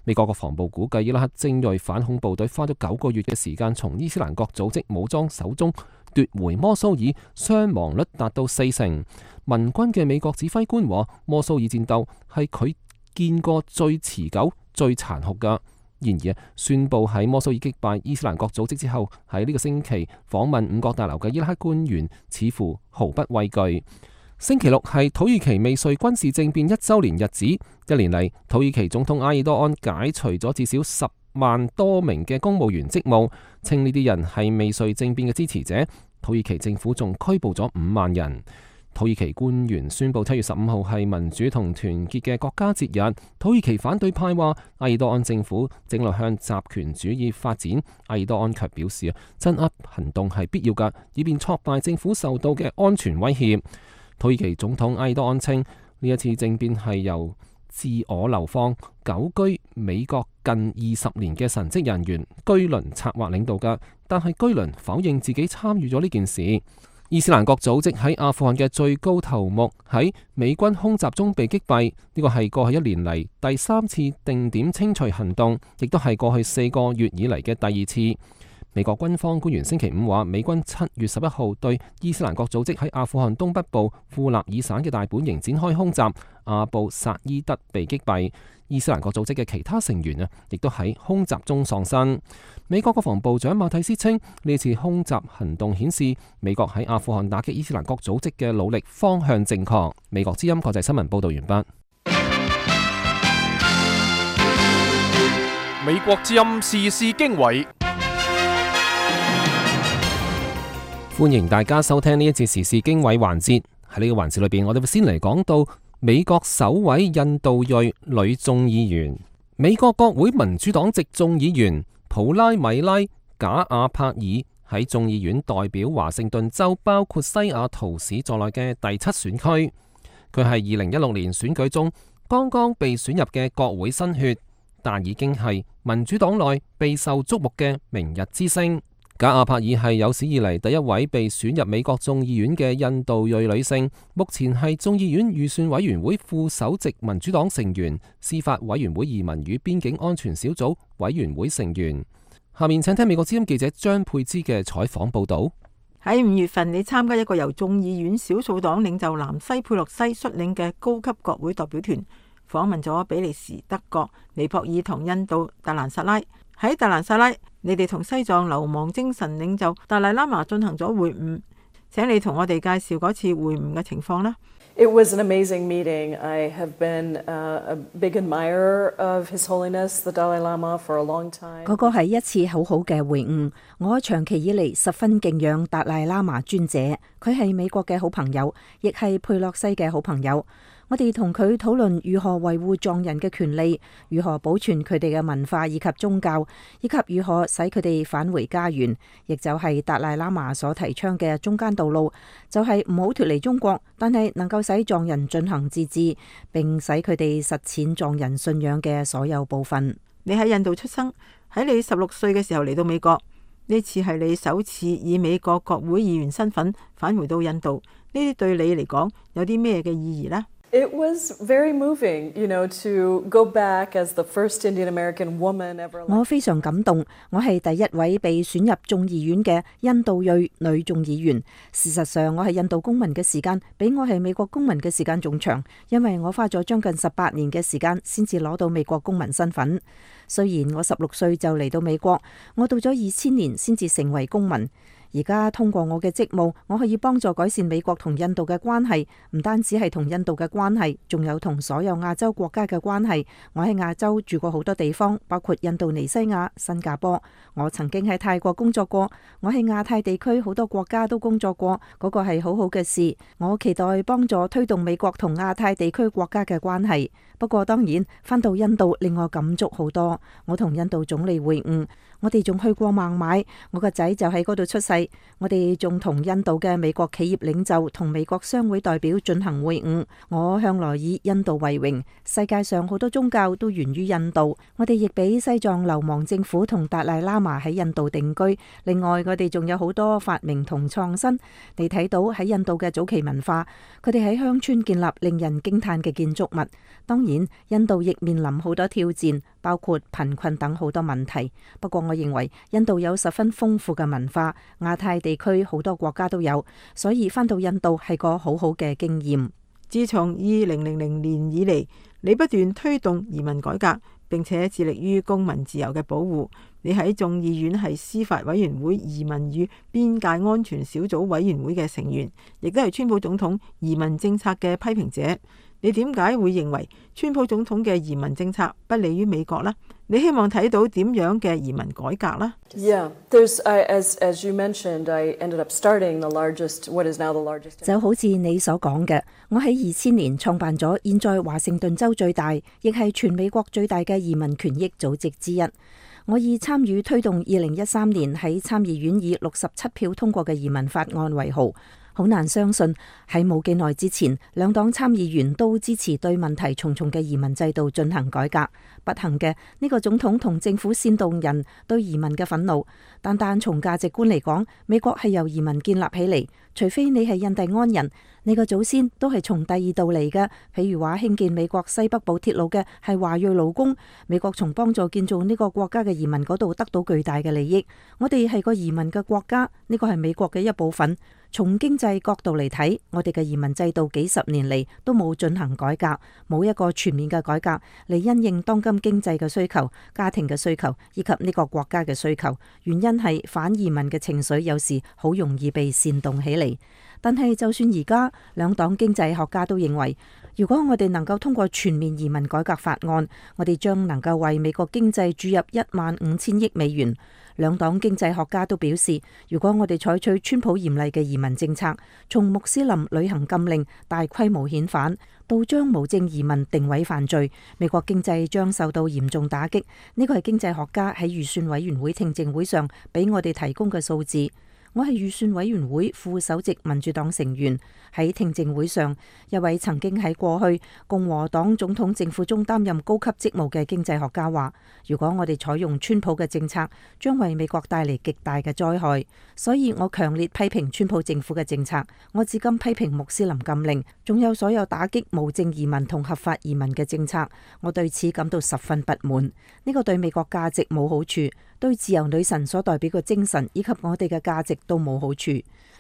美國國防部估計，伊拉克精銳反恐部隊花咗9個月嘅時間，從伊斯蘭國組織武裝手中奪回摩蘇爾，傷亡率達到40%。民軍嘅美國指揮官話，摩蘇爾戰鬥係佢見過最持久、最殘酷㗎。然而，宣布喺摩蘇爾擊敗伊斯蘭國組織之後，喺呢個星期訪問五角大樓嘅伊拉克官員似乎毫不畏懼。星期六係土耳其未遂軍事政變1週年日子，一年嚟土耳其總統埃爾多安解除咗至少10萬多名嘅公務員職務，稱呢啲人係未遂政變嘅支持者。土耳其政府仲拘捕咗5萬人。土耳其官員宣布7月15號係民主同團結嘅國家節日。土耳其反對派話埃爾多安政府正落向集權主義發展。埃爾多安卻表示鎮壓行動係必要㗎，以便挫敗政府受到嘅安全威脅。土耳其總統埃爾多安稱呢一次政變係由自我流放久居美國近20年嘅神職人員居倫策劃領導㗎，但係居倫否認自己參與咗呢件事。伊斯蘭國組織喺阿富汗嘅最高頭目喺美軍空襲中被擊斃，呢個係過去1年嚟第3次定點清除行動，亦都係過去4個月以嚟嘅第2次。美國軍方官員星期5話，美軍7月11號對伊斯蘭國組織喺阿富汗東北部庫納爾省嘅大本營展開空襲，阿布薩伊德被擊斃。伊斯蘭國組織嘅其他成員亦都喺空襲中喪生。美國國防部長馬蒂斯稱，呢次空襲行動顯示美國喺阿富汗打擊伊斯蘭國組織嘅努力方向正確。美國之音國際新聞報道完畢。美國之音時事經緯，歡迎大家收聽呢一節時事經緯環節。喺呢個環節裏邊，我哋會先嚟講到美國首位印度裔女眾議員，美國國會民主黨籍眾議員普拉米拉·賈亞帕爾喺眾議院代表華盛頓州包括西雅圖市在內嘅第7選區。佢係2016年選舉中剛剛被選入嘅國會新血，但已經係民主黨內備受矚目嘅明日之星。賈亞帕爾係有史以嚟第一位被選入美國眾議院嘅印度裔女性，目前係眾議院預算委員會副首席民主黨成員、司法委員會移民與邊境安全小組委員會成員。下面請聽美國之音記者張佩芝嘅採訪報道。喺5月份，你參加一個由眾議院少數黨領袖南西佩洛西率領嘅高級國會代表團，訪問咗比利時、德國、尼泊爾同印度達蘭薩拉。喺達蘭薩拉，你哋同西藏流亡精神領袖達賴喇嘛進行咗會晤，請你同我哋介紹嗰次會晤嘅情況啦。It was an amazing meeting. I have been a big admirer of His Holiness the Dalai Lama for a long time. 嗰個係一次好好嘅會晤，我長期以嚟十分敬仰達賴喇嘛尊者，佢係美國嘅好朋友，亦係佩洛西嘅好朋友。我哋同佢討論如何維護藏人嘅權利，如何保存佢哋嘅文化以及宗教，以及如何使佢哋返回家園，亦就係達賴喇嘛所提倡嘅中間道路，就係唔好脫離中國，但係能夠使藏人進行自治，並使佢哋實踐藏人信仰嘅所有部分。你喺印度出生，喺你16歲嘅時候嚟到美國，呢次係你首次以美國國會議員身份返回到印度，呢啲對你嚟講有啲咩嘅意義呢？It was very moving, to go back as the first Indian American woman ever. 我非常感動，我係第一位被選入眾議院嘅印度裔女眾議員。事實上，我係印度公民嘅時間比我係美國公民嘅時間仲長，因為我花咗將近18年嘅時間先至攞到美國公民身份。雖然我16歲就嚟到美國，我到咗2000年先至成為公民。而家通過我嘅職務，我可以幫助改善美國同印度嘅關係，唔單止係同印度嘅關係，仲有同所有亞洲國家嘅關係。我喺亞洲住過好多地方，包括印度尼西亞、新加坡。我曾經喺泰國工作過，我喺亞太地區好多國家都工作過，嗰個係好好嘅事。我期待幫助推動美國同亞太地區國家嘅關係。不過當然，返到印度令我感觸好多。我同印度總理會晤，我哋仲去過孟買，我個仔就喺嗰度出世。我哋仲同印度嘅美國企業領袖同美國商會代表進行會晤。我向來以印度為榮，世界上好多宗教都源於印度。我哋亦俾西藏流亡政府同達賴喇嘛喺印度定居。另外，我哋仲有好多發明同創新。你睇到喺印度嘅早期文化，佢哋喺鄉村建立令人驚嘆嘅建築物。當然，印度亦面臨好多挑戰，包括貧困等好多問題。不過我認為印度有十分豐富嘅文化，亞太地區好多國家都有，所以返到印度係個好好嘅經驗。自從2000年以嚟，你不斷推動移民改革，並且致力於公民自由嘅保護。你喺眾議院係司法委員會移民與邊界安全小組委員會嘅成員，亦都係川普總統移民政策嘅批評者。你點解會認為川普總統嘅移民政策不利於美國呢？你希望睇到點樣嘅移民改革呢？ Yeah, as you mentioned, I ended up starting what is now the largest. 就好似你所講嘅，我喺2000年創辦咗現在華盛頓州最大，亦係全美國最大嘅移民權益組織之一。我以參與推動2013年喺參議院以67票通過嘅移民法案為豪。好難相信喺冇幾耐之前，兩黨參議員都支持對問題重重嘅移民制度進行改革。不幸嘅，呢個總統同政府煽動人對移民嘅憤怒。但從價值觀嚟講，美國係由移民建立起嚟。除非你係印第安人，你個祖先都係從第二度嚟嘅。譬如話興建美國西北部鐵路嘅係華裔勞工，美國從幫助建造呢個國家嘅移民嗰度得到巨大嘅利益。我哋係個移民嘅國家，呢個係美國嘅一部分。從經濟角度嚟睇，我哋嘅移民制度幾十年嚟都冇進行改革，冇一個全面嘅改革嚟因應當今經濟嘅需求、家庭嘅需求以及呢個國家嘅需求。原因係反移民嘅情緒有時好容易被煽動起嚟。但係就算而家兩黨經濟學家都認為，如果我哋能夠通過全面移民改革法案，我哋將能夠為美國經濟注入15000億美元。兩黨經濟學家都表示，如果我哋採取川普嚴厲嘅移民政策，從穆斯林旅行禁令、大規模遣返到將無證移民定位犯罪，美國經濟將受到嚴重打擊。呢個係經濟學家喺預算委員會聽證會上俾我哋提供嘅數字。我係預算委員會副首席民主黨成員。喺聽證會上，一位曾經喺過去共和黨總統政府中擔任高級職務嘅經濟學家話，如果我哋採用川普嘅政策，將為美國帶嚟極大嘅災害。所以我強烈批評川普政府嘅政策。我至今批評穆斯林禁令，仲有所有打擊無證移民同合法移民嘅政策。我對此感到十分不滿。呢個對美國價值冇好處，對自由女神所代表嘅精神以及我哋嘅價值都冇好處。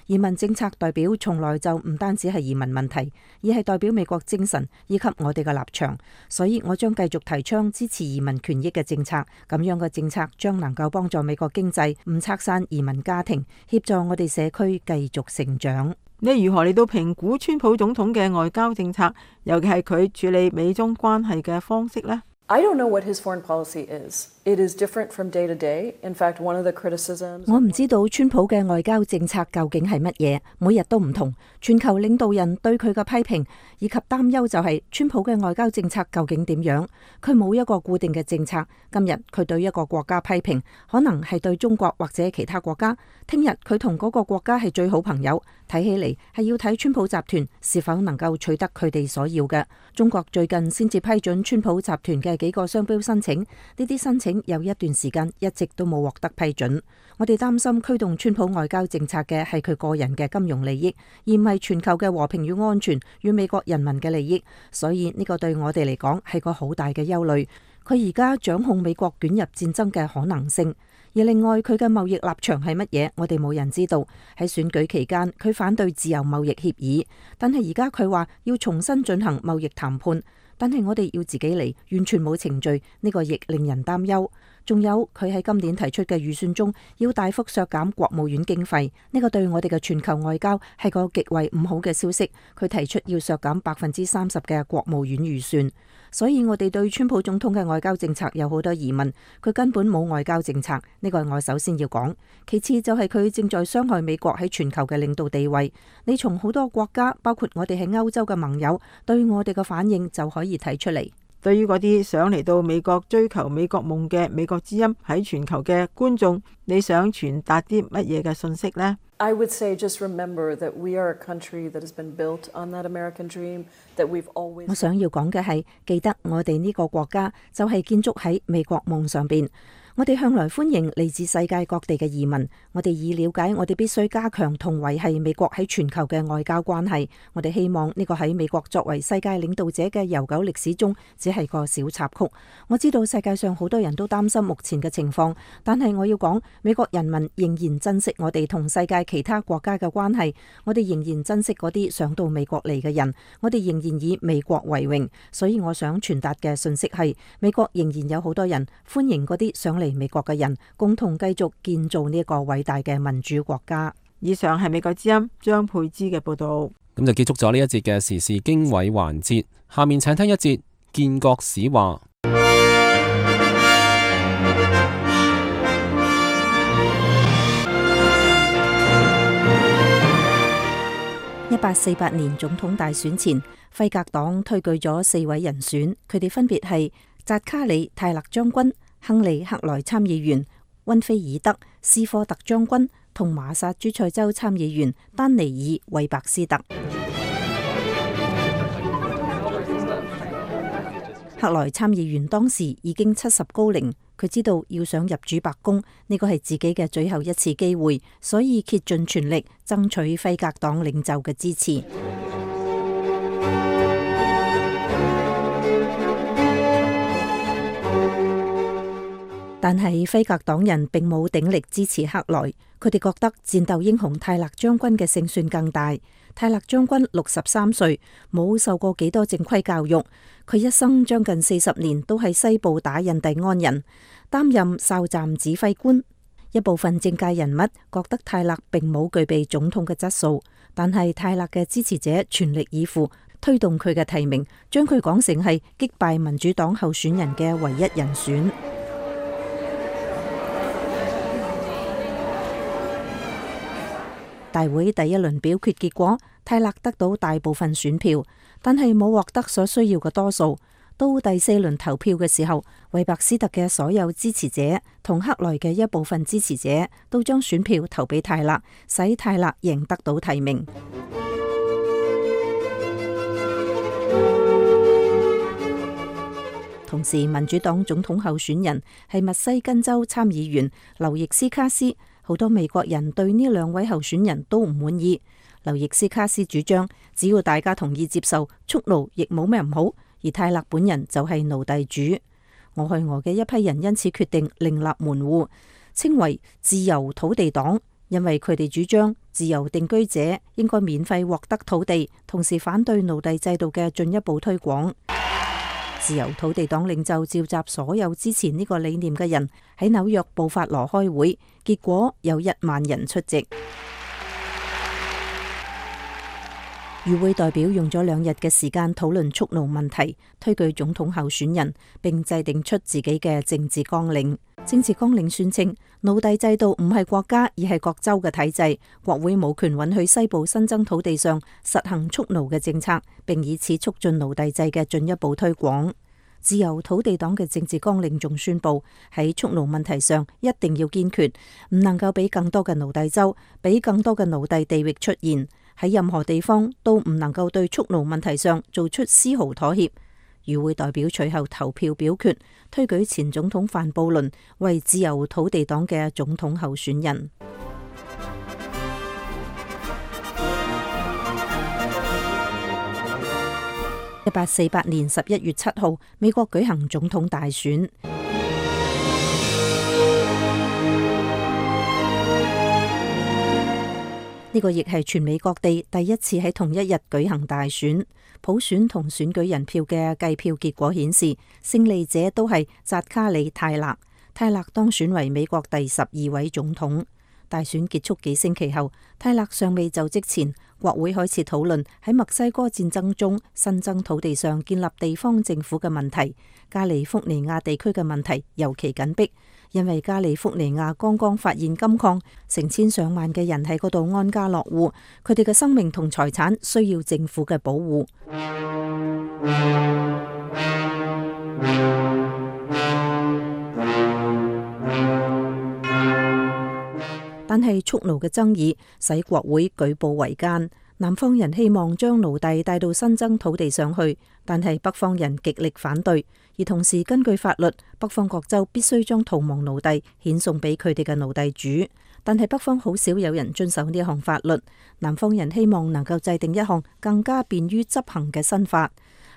移民政策代表從來就唔單止係移民問題，而係代表美國精神以及我哋嘅立場。所以我將繼續提倡支持移民權益嘅政策。咁樣嘅政策將能夠幫助美國經濟唔拆散移民家庭，協助我哋社區繼續成長。你如何嚟到評估川普總統嘅外交政策，尤其係佢處理美中關係嘅方式呢？ I don't know what his foreign policy is. It is different from day to day. In fact, one of the criticisms... 我唔知道川普嘅外交政策究竟係乜嘢，每日都唔同。全球領導人對佢嘅批評以及擔憂就係川普嘅外交政策究竟點樣？佢冇一個固定嘅政策。今日佢對一個國家批評，可能係對中國或者其他國家。聽日佢同嗰個國家係最好朋友。睇起嚟係要睇川普集團是否能夠取得佢哋所要嘅。中國最近先至批准川普集團嘅幾個商標申請，呢啲申請有一段時間一直都冇獲得批准。我哋擔心驅動川普外交政策嘅係佢個人嘅金融利益，而唔係全球嘅和平與安全與美國人民嘅利益。所以呢個對我哋嚟講係個好大嘅憂慮。佢而家掌控美國捲入戰爭嘅可能性。而另外佢嘅貿易立場係乜嘢，我哋冇人知道。喺選舉期間，佢反對自由貿易協議，但係而家佢話要重新進行貿易談判。但係我哋要自己嚟，完全冇程序，呢個亦令人擔憂。仲有佢喺今年提出嘅預算中，要大幅削減國務院經費，呢個對我哋嘅全球外交係個極為唔好嘅消息。佢提出要削減30%嘅國務院預算，所以我哋對川普總統嘅外交政策有好多疑問。佢根本冇外交政策，呢個係我首先要講。其次就係佢正在傷害美國喺全球嘅領導地位。你從好多國家，包括我哋喺歐洲嘅盟友，對我哋嘅反應就可以睇出嚟。對於嗰啲想嚟到美國追求美國夢嘅美國之音喺全球嘅觀眾，你想傳達啲乜嘢嘅信息呢？ I would say just remember that we are a country that has been built on that American dream, that we've always... 我想要講嘅係，記得我哋呢個國家就係建築喺美國夢上邊。我哋向來歡迎嚟自世界各地嘅移民。我哋已了解，我哋必須加強同維繫美國喺全球嘅外交關係。我哋希望呢個喺美國作為世界領導者嘅悠久歷史中，只係個小插曲。我知道世界上好多人都擔心目前嘅情況，但係我要講，美國人民仍然珍惜我哋同世界其他國家嘅關係。我哋仍然珍惜嗰啲想到美國嚟嘅人。我哋仍然以美國為榮。所以我想傳達嘅信息係，美國仍然有好多人歡迎嗰啲想嚟美國嘅人，共同繼續建造呢一個偉大嘅民主國家。以上係美國之音張佩芝嘅報道。咁就結束咗呢一節嘅時事經緯環節，下面請聽一節建國史話。1848年總統大選前，輝格黨推舉咗4位人選，佢哋分別係扎卡里泰勒將軍、亨利克萊參議員、溫菲爾德斯科特將軍同馬薩諸塞州參議員丹尼爾韋伯斯特。克萊參議員當時已經70高齡，佢知道要想入主白宮，呢個係自己嘅最後一次機會，所以竭盡全力爭取輝格黨領袖嘅支持。但係輝格黨人並冇鼎力支持克萊，佢哋覺得戰鬥英雄泰勒將軍嘅勝算更大。泰勒將軍63歲，冇受過幾多正規教育，佢一生將近40年都喺西部打印第安人，擔任哨站指揮官。一部分政界人物覺得泰勒並冇具備總統嘅質素，但係泰勒嘅支持者全力以赴推動佢嘅提名，將佢講成係擊敗民主黨候選人嘅唯一人選。大會第一輪表決結果，泰勒得到大部分選票，但係冇獲得所需要嘅多數。到第4輪投票嘅時候，韋伯斯特嘅所有支持者同克萊嘅一部分支持者都將選票投俾泰勒，使泰勒贏得到提名。同時，民主黨總統候選人係密西根州參議員劉易斯卡斯。好多美國人對呢2位候選人都唔滿意。劉易斯卡斯主張，只要大家同意接受，蓄奴亦冇咩唔好。而泰勒本人就係奴隸主。俄亥俄嘅一批人因此決定另立門戶，稱為自由土地黨，因為佢哋主張自由定居者應該免費獲得土地，同時反對奴隸制度嘅進一步推廣。自由土地黨領袖召集所有支持呢個理念嘅人喺紐約布法羅開會，結果有1萬人出席。與會代表用咗2日嘅時間討論蓄奴問題，推舉總統候選人，並制定出自己嘅政治綱領。政治綱領宣稱，奴隸制度唔係國家而係各州嘅體制，國會冇權允許西部新增土地上實行蓄奴嘅政策，並以此促進奴隸制嘅進一步推廣。自由土地黨嘅政治綱領仲宣布，喺蓄奴問題上一定要堅決，唔能夠俾更多嘅奴隸州，俾更多嘅奴隸地域出現，喺任何地方都唔能夠對蓄奴問題上做出絲毫妥協。與會代表隨後投票表決，推舉前總統范布倫為自由土地黨嘅總統候選人。1848年11月7號，美國舉行總統大選。呢個亦係全美各地第一次喺同一日舉行大選。普選同選舉人票嘅計票結果顯示，勝利者都係扎卡里泰勒。泰勒當選為美國第12位總統。大選結束幾星期後，泰勒尚未就職前，國會開始討論喺墨西哥戰爭中新增土地上建立地方政府嘅問題。加利福尼亞地區嘅問題尤其緊迫，因為加利福尼亞剛剛發現金礦，成千上萬嘅人喺嗰度安家落戶，佢哋嘅生命同財產需要政府嘅保護。但係蓄奴嘅爭議使國會舉步維艱，南方人希望將奴隸帶到新增土地上去，但係北方人極力反對。而同時根據法律，北方各州必須將逃亡奴隸遣送俾佢哋嘅奴隸主，但係北方好少有人遵守呢項法律。南方人希望能夠制定一項更加便於執行嘅新法。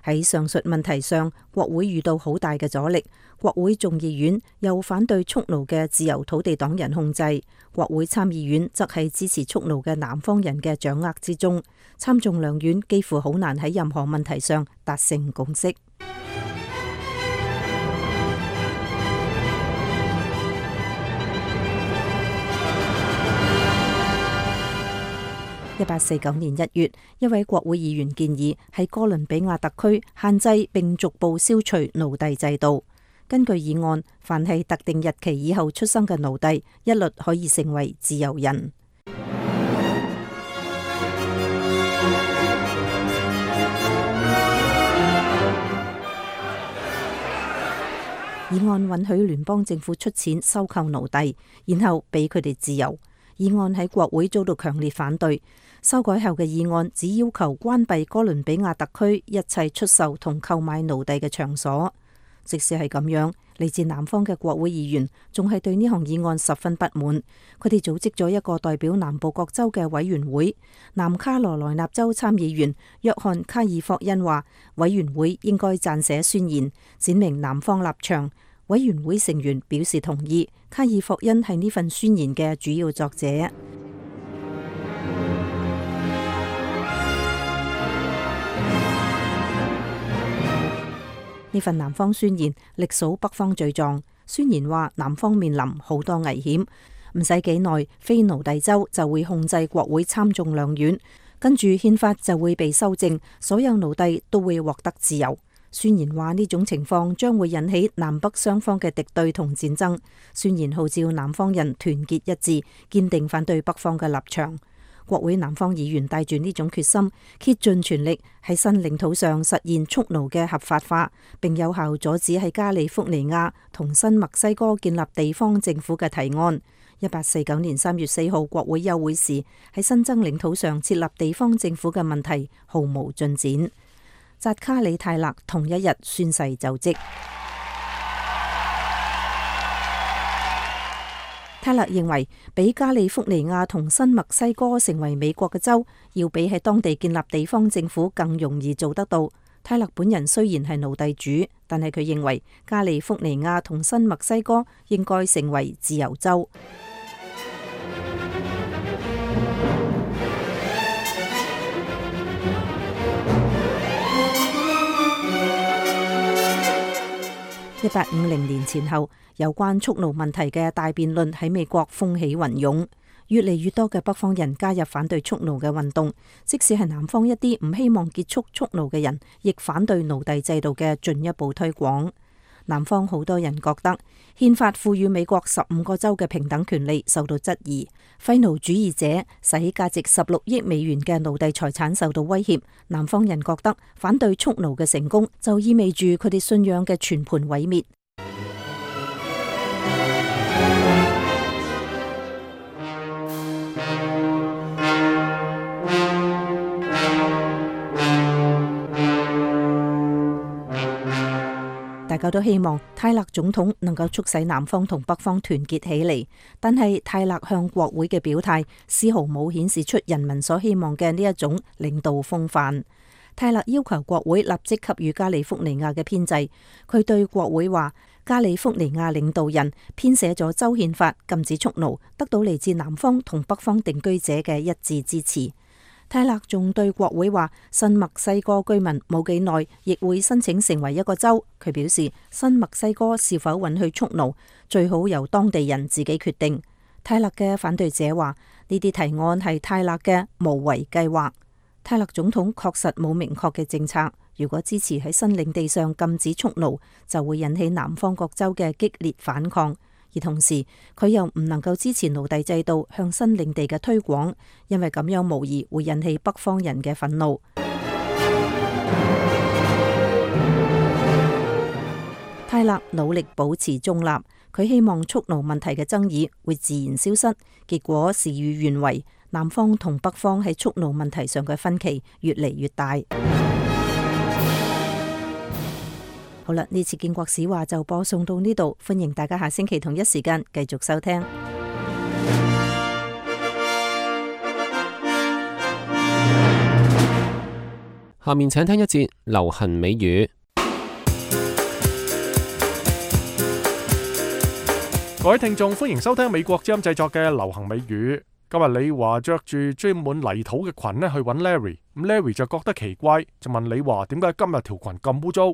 喺上述問題上，國會遇到好大嘅阻力。國會眾議院又反對蓄奴嘅自由土地黨人控制，國會參議院則係支持蓄奴嘅南方人嘅掌握之中。參眾兩院幾乎好難喺任何問題上達成共識。1849年1月，一位國會議員建議喺哥倫比亞特區限制並逐步消除奴隸制度。根據議案，凡係特定日期以後出生嘅奴隸，一律可以成為自由人。議案允許聯邦政府出錢收購奴隸，然後俾佢哋自由。議案喺國會遭到強烈反對。修改後嘅議案只要求關閉哥倫比亞特區一切出售同購買奴隸嘅場所。即使係咁樣，嚟自南方嘅國會議員仲係對呢項議案十分不滿。佢哋組織咗一個代表南部各州嘅委員會。南卡羅來納州參議員約翰卡爾霍恩話，委員會應該撰寫宣言，闡明南方立場。委員會成員表示同意。卡爾霍恩係呢份宣言嘅主要作者。呢份南方宣言歷數北方罪狀。宣言話南方面臨好多危險，唔使幾耐，非奴隸州就會控制國會參眾兩院，跟住憲法就會被修正，所有奴隸都會獲得自由。宣言話呢種情況將會引起南北雙方嘅敵對同戰爭。宣言號召南方人團結一致，堅定反對北方嘅立場。國會南方議員帶住呢種決心，竭盡全力喺新領土上實現蓄奴嘅合法化，並有效阻止喺加利福尼亞同新墨西哥建立地方政府嘅提案。1849年3月4號國會休會時，喺新增領土上設立地方政府嘅問題毫無進展。扎卡里泰勒同一日宣誓就職。泰勒認為，俾加利福尼亞同新墨西哥成為美國嘅州，要比喺當地建立地方政府更容易做得到。泰勒本人雖然係奴隸主，但係佢認為加利福尼亞同新墨西哥應該成為自由州。1850年前後，有關蓄奴問題嘅大辯論喺美國風起雲湧，越嚟越多嘅北方人加入反對蓄奴嘅運動，即使係南方一啲唔希望結束蓄奴嘅人，亦反對奴隸制度嘅進一步推廣。南方好多人覺得憲法賦予美國15個州嘅平等權利受到質疑，廢奴主義者使價值16億美元嘅奴隸財產受到威脅。南方人覺得反對蓄奴嘅成功就意味住佢哋信仰嘅全盤毀滅。大家都希望泰勒總統能夠促使南方同北方團結起嚟，但係泰勒向國會嘅表態絲毫冇顯示出人民所希望嘅呢一種領導風範。泰勒要求國會立即給予加利福尼亞嘅編制。佢對國會話，加利福尼亞領導人編寫咗州憲法，禁止蓄奴，得到嚟自南方同北方定居者嘅一致支持。泰勒仲對國會話，新墨西哥居民冇幾耐亦會申請成為一個州。佢表示，新墨西哥是否允許蓄奴，最好由當地人自己決定。泰勒嘅反對者話，呢啲提案係泰勒嘅無為計劃。泰勒總統確實冇明確嘅政策，如果支持喺新領地上禁止蓄奴，就會引起南方各州嘅激烈反抗。而同時，佢又唔能夠支持奴隸制度向新領地嘅推廣，因為咁樣無疑會引起北方人嘅憤怒。泰勒努力保持中立，佢希望蓄奴問題嘅爭議會自然消失，結果事與願違，南方同北方喺蓄奴問題上嘅分歧越嚟越大。好啦，呢次建國史話就播送到呢度，歡迎大家下星期同一時間繼續收聽。下面請聽一節流行美語。各位聽眾，歡迎收聽美國之音製作嘅流行美語。今日李華着住裝滿泥土嘅裙去揾 Larry， 咁 Larry 就覺得奇怪，就問李華點解今日條裙咁污糟。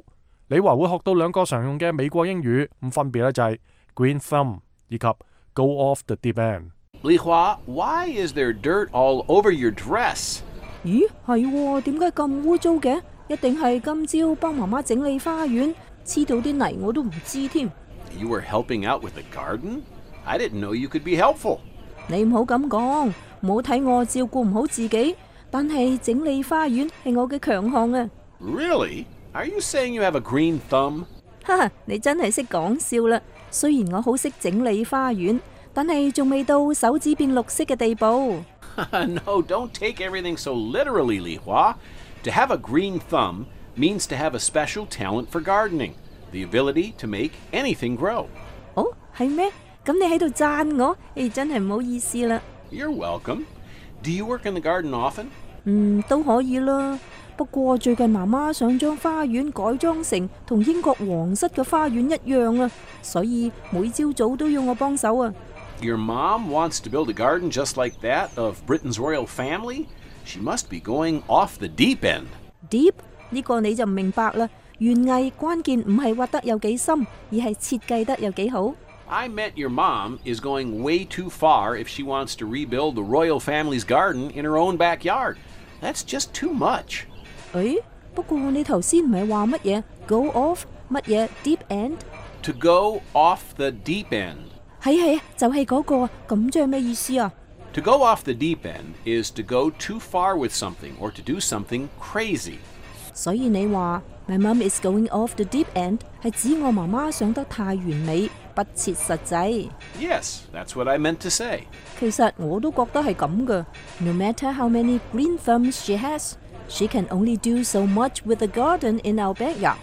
李華會學到兩個常用嘅美國英語，咁分別咧就係 green thumb 以及 go off the deep end。Li Hua, why is there dirt all over your dress? 咦，係喎，點解咁污糟嘅？一定係今朝幫媽媽整理花園，黐到啲泥我都唔知添。You were helping out with the garden? I didn't know you could be helpful. 你唔好咁講，唔好睇我照顧唔好自己，但係整理花園係我嘅強項啊！ Really? Are you saying you have a green thumb? 哈哈，你真係識講笑啦！雖然我好識整理花園，但係仲未到手指變綠色嘅地步。No, don't take everything so literally, Li Hua. To have a green thumb means to have a special talent for gardening, the ability to make anything grow. 哦，係咩？咁你喺度讚我，真係唔好意思啦。You're welcome. Do you work in the garden often? 都可以啦。不過最近媽媽想將花園改裝成同英國皇室嘅花園一樣啊，所以每朝早都要我幫手啊。Your mom wants to build a garden just like that of Britain's royal family? She must be going off the deep end. Deep 呢個你就唔明白啦。園藝關鍵唔係挖得有幾深，而係設計得有幾好。I meant your mom is going way too far if she wants to rebuild the royal family's garden in her own backyard. That's just too much. 不過你頭先唔係話乜嘢 go off 乜嘢 deep end？ To go off the deep end. 係就係嗰個，咁即係咩意思啊？ To go off the deep end is to go too far with something or to do something crazy. 所以你話 My mom is going off the deep end 係指我媽媽想得太完美，不切實際。Yes, that's what I meant to say. 其實我都覺得係咁㗎。No matter how many green thumbs she has, she can only do so much with the garden in our backyard.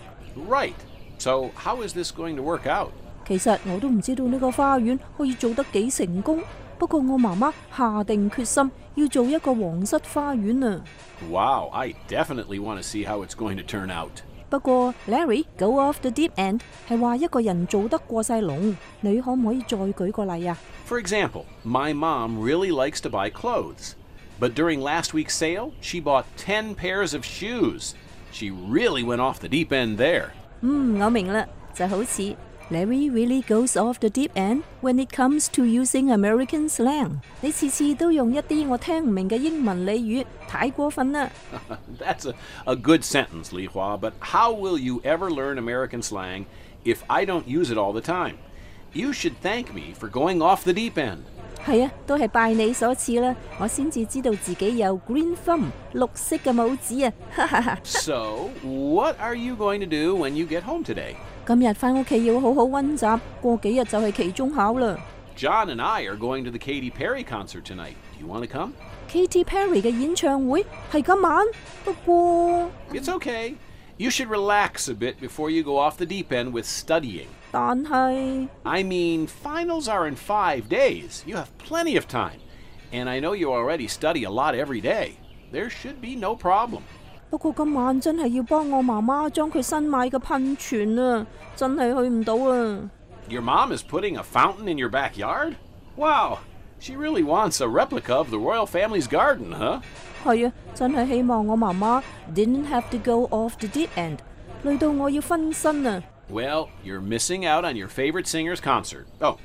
Right. So how is this going to work out? 其實我都唔知道呢個花園可以做得幾成功，不過我媽媽下定決心要做一個皇室花園啊！ Wow, I definitely want to see how it's going to turn out. 不過 Larry go off the deep end 係話一個人做得過晒龍，你可唔可以再舉個例啊？ For example, my mom really likes to buy clothes. But during last week's sale, she bought 10 pairs of shoes. She really went off the deep end there. 我明啦，就好似Larry really goes off the deep end when it comes to using American slang. 你次次都用一啲我聽唔明嘅英文俚語，太過分啦。That's a good sentence, Li Hua, but how will you ever learn American slang if I don't use it all the time? You should thank me for going off the deep end. 係啊，都係拜你所賜啦，我先至知道自己有 green thumb 綠色嘅拇指啊！哈哈哈。So, what are you going to do when you get home today? 今日返屋企要好好溫習，過幾日就係期中考啦。John and I are going to the Katy Perry concert tonight. Do you want to come? Katy Perry 嘅演唱會係今晚，不過 It's okay. You should relax a bit before you go off the deep end with studying. 但係 I mean, finals are in 5 days. You have plenty of time. And I know you already study a lot every day. There should be no problem. 不過今晚真係要幫我媽媽將佢新買嘅噴泉啊，真係去唔到啊！ Your mom is putting a fountain in your backyard? Wow, she really wants a replica of the royal family's garden, huh? 係啊，真係希望我媽媽 didn't have to go off the deep end，累到我要分身啊！ Well, you're missing out on your favorite singer's concert. Oh,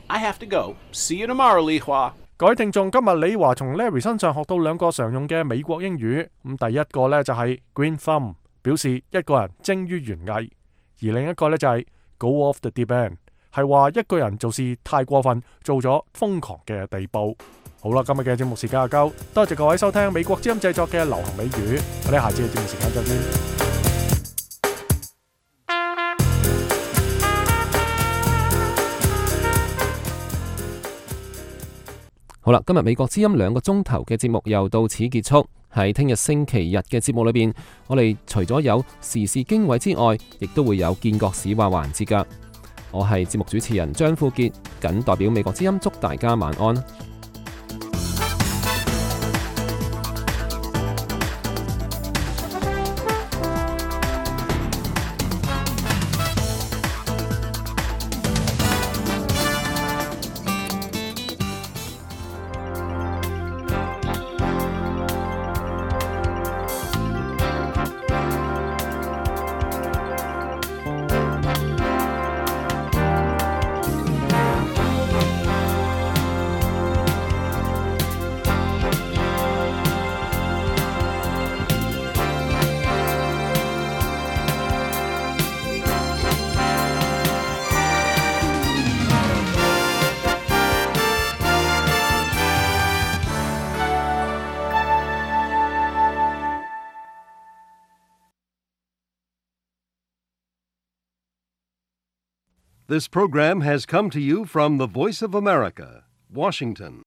I have to go. See you tomorrow, Li Hua. 各位聽眾，今日李華從 Larry 身上學到2個常用嘅美國英語。第一個呢就係 green thumb， 表示一個人精於園藝；而另一個呢就係 go off the deep end， 係話一個人做事太過分，做咗瘋狂嘅地步。好啦，今日嘅節目時間就夠，多謝各位收聽美國之音製作嘅流行美語，我哋下次嘅節目時間再見。好啦，今日美國之音2個鐘頭嘅節目又到此結束。喺聽日星期日嘅節目裏邊，我哋除咗有時事經緯之外，亦都會有見國史話環節㗎。我係節目主持人張富傑，謹代表美國之音祝大家晚安。This program has come to you from the Voice of America, Washington.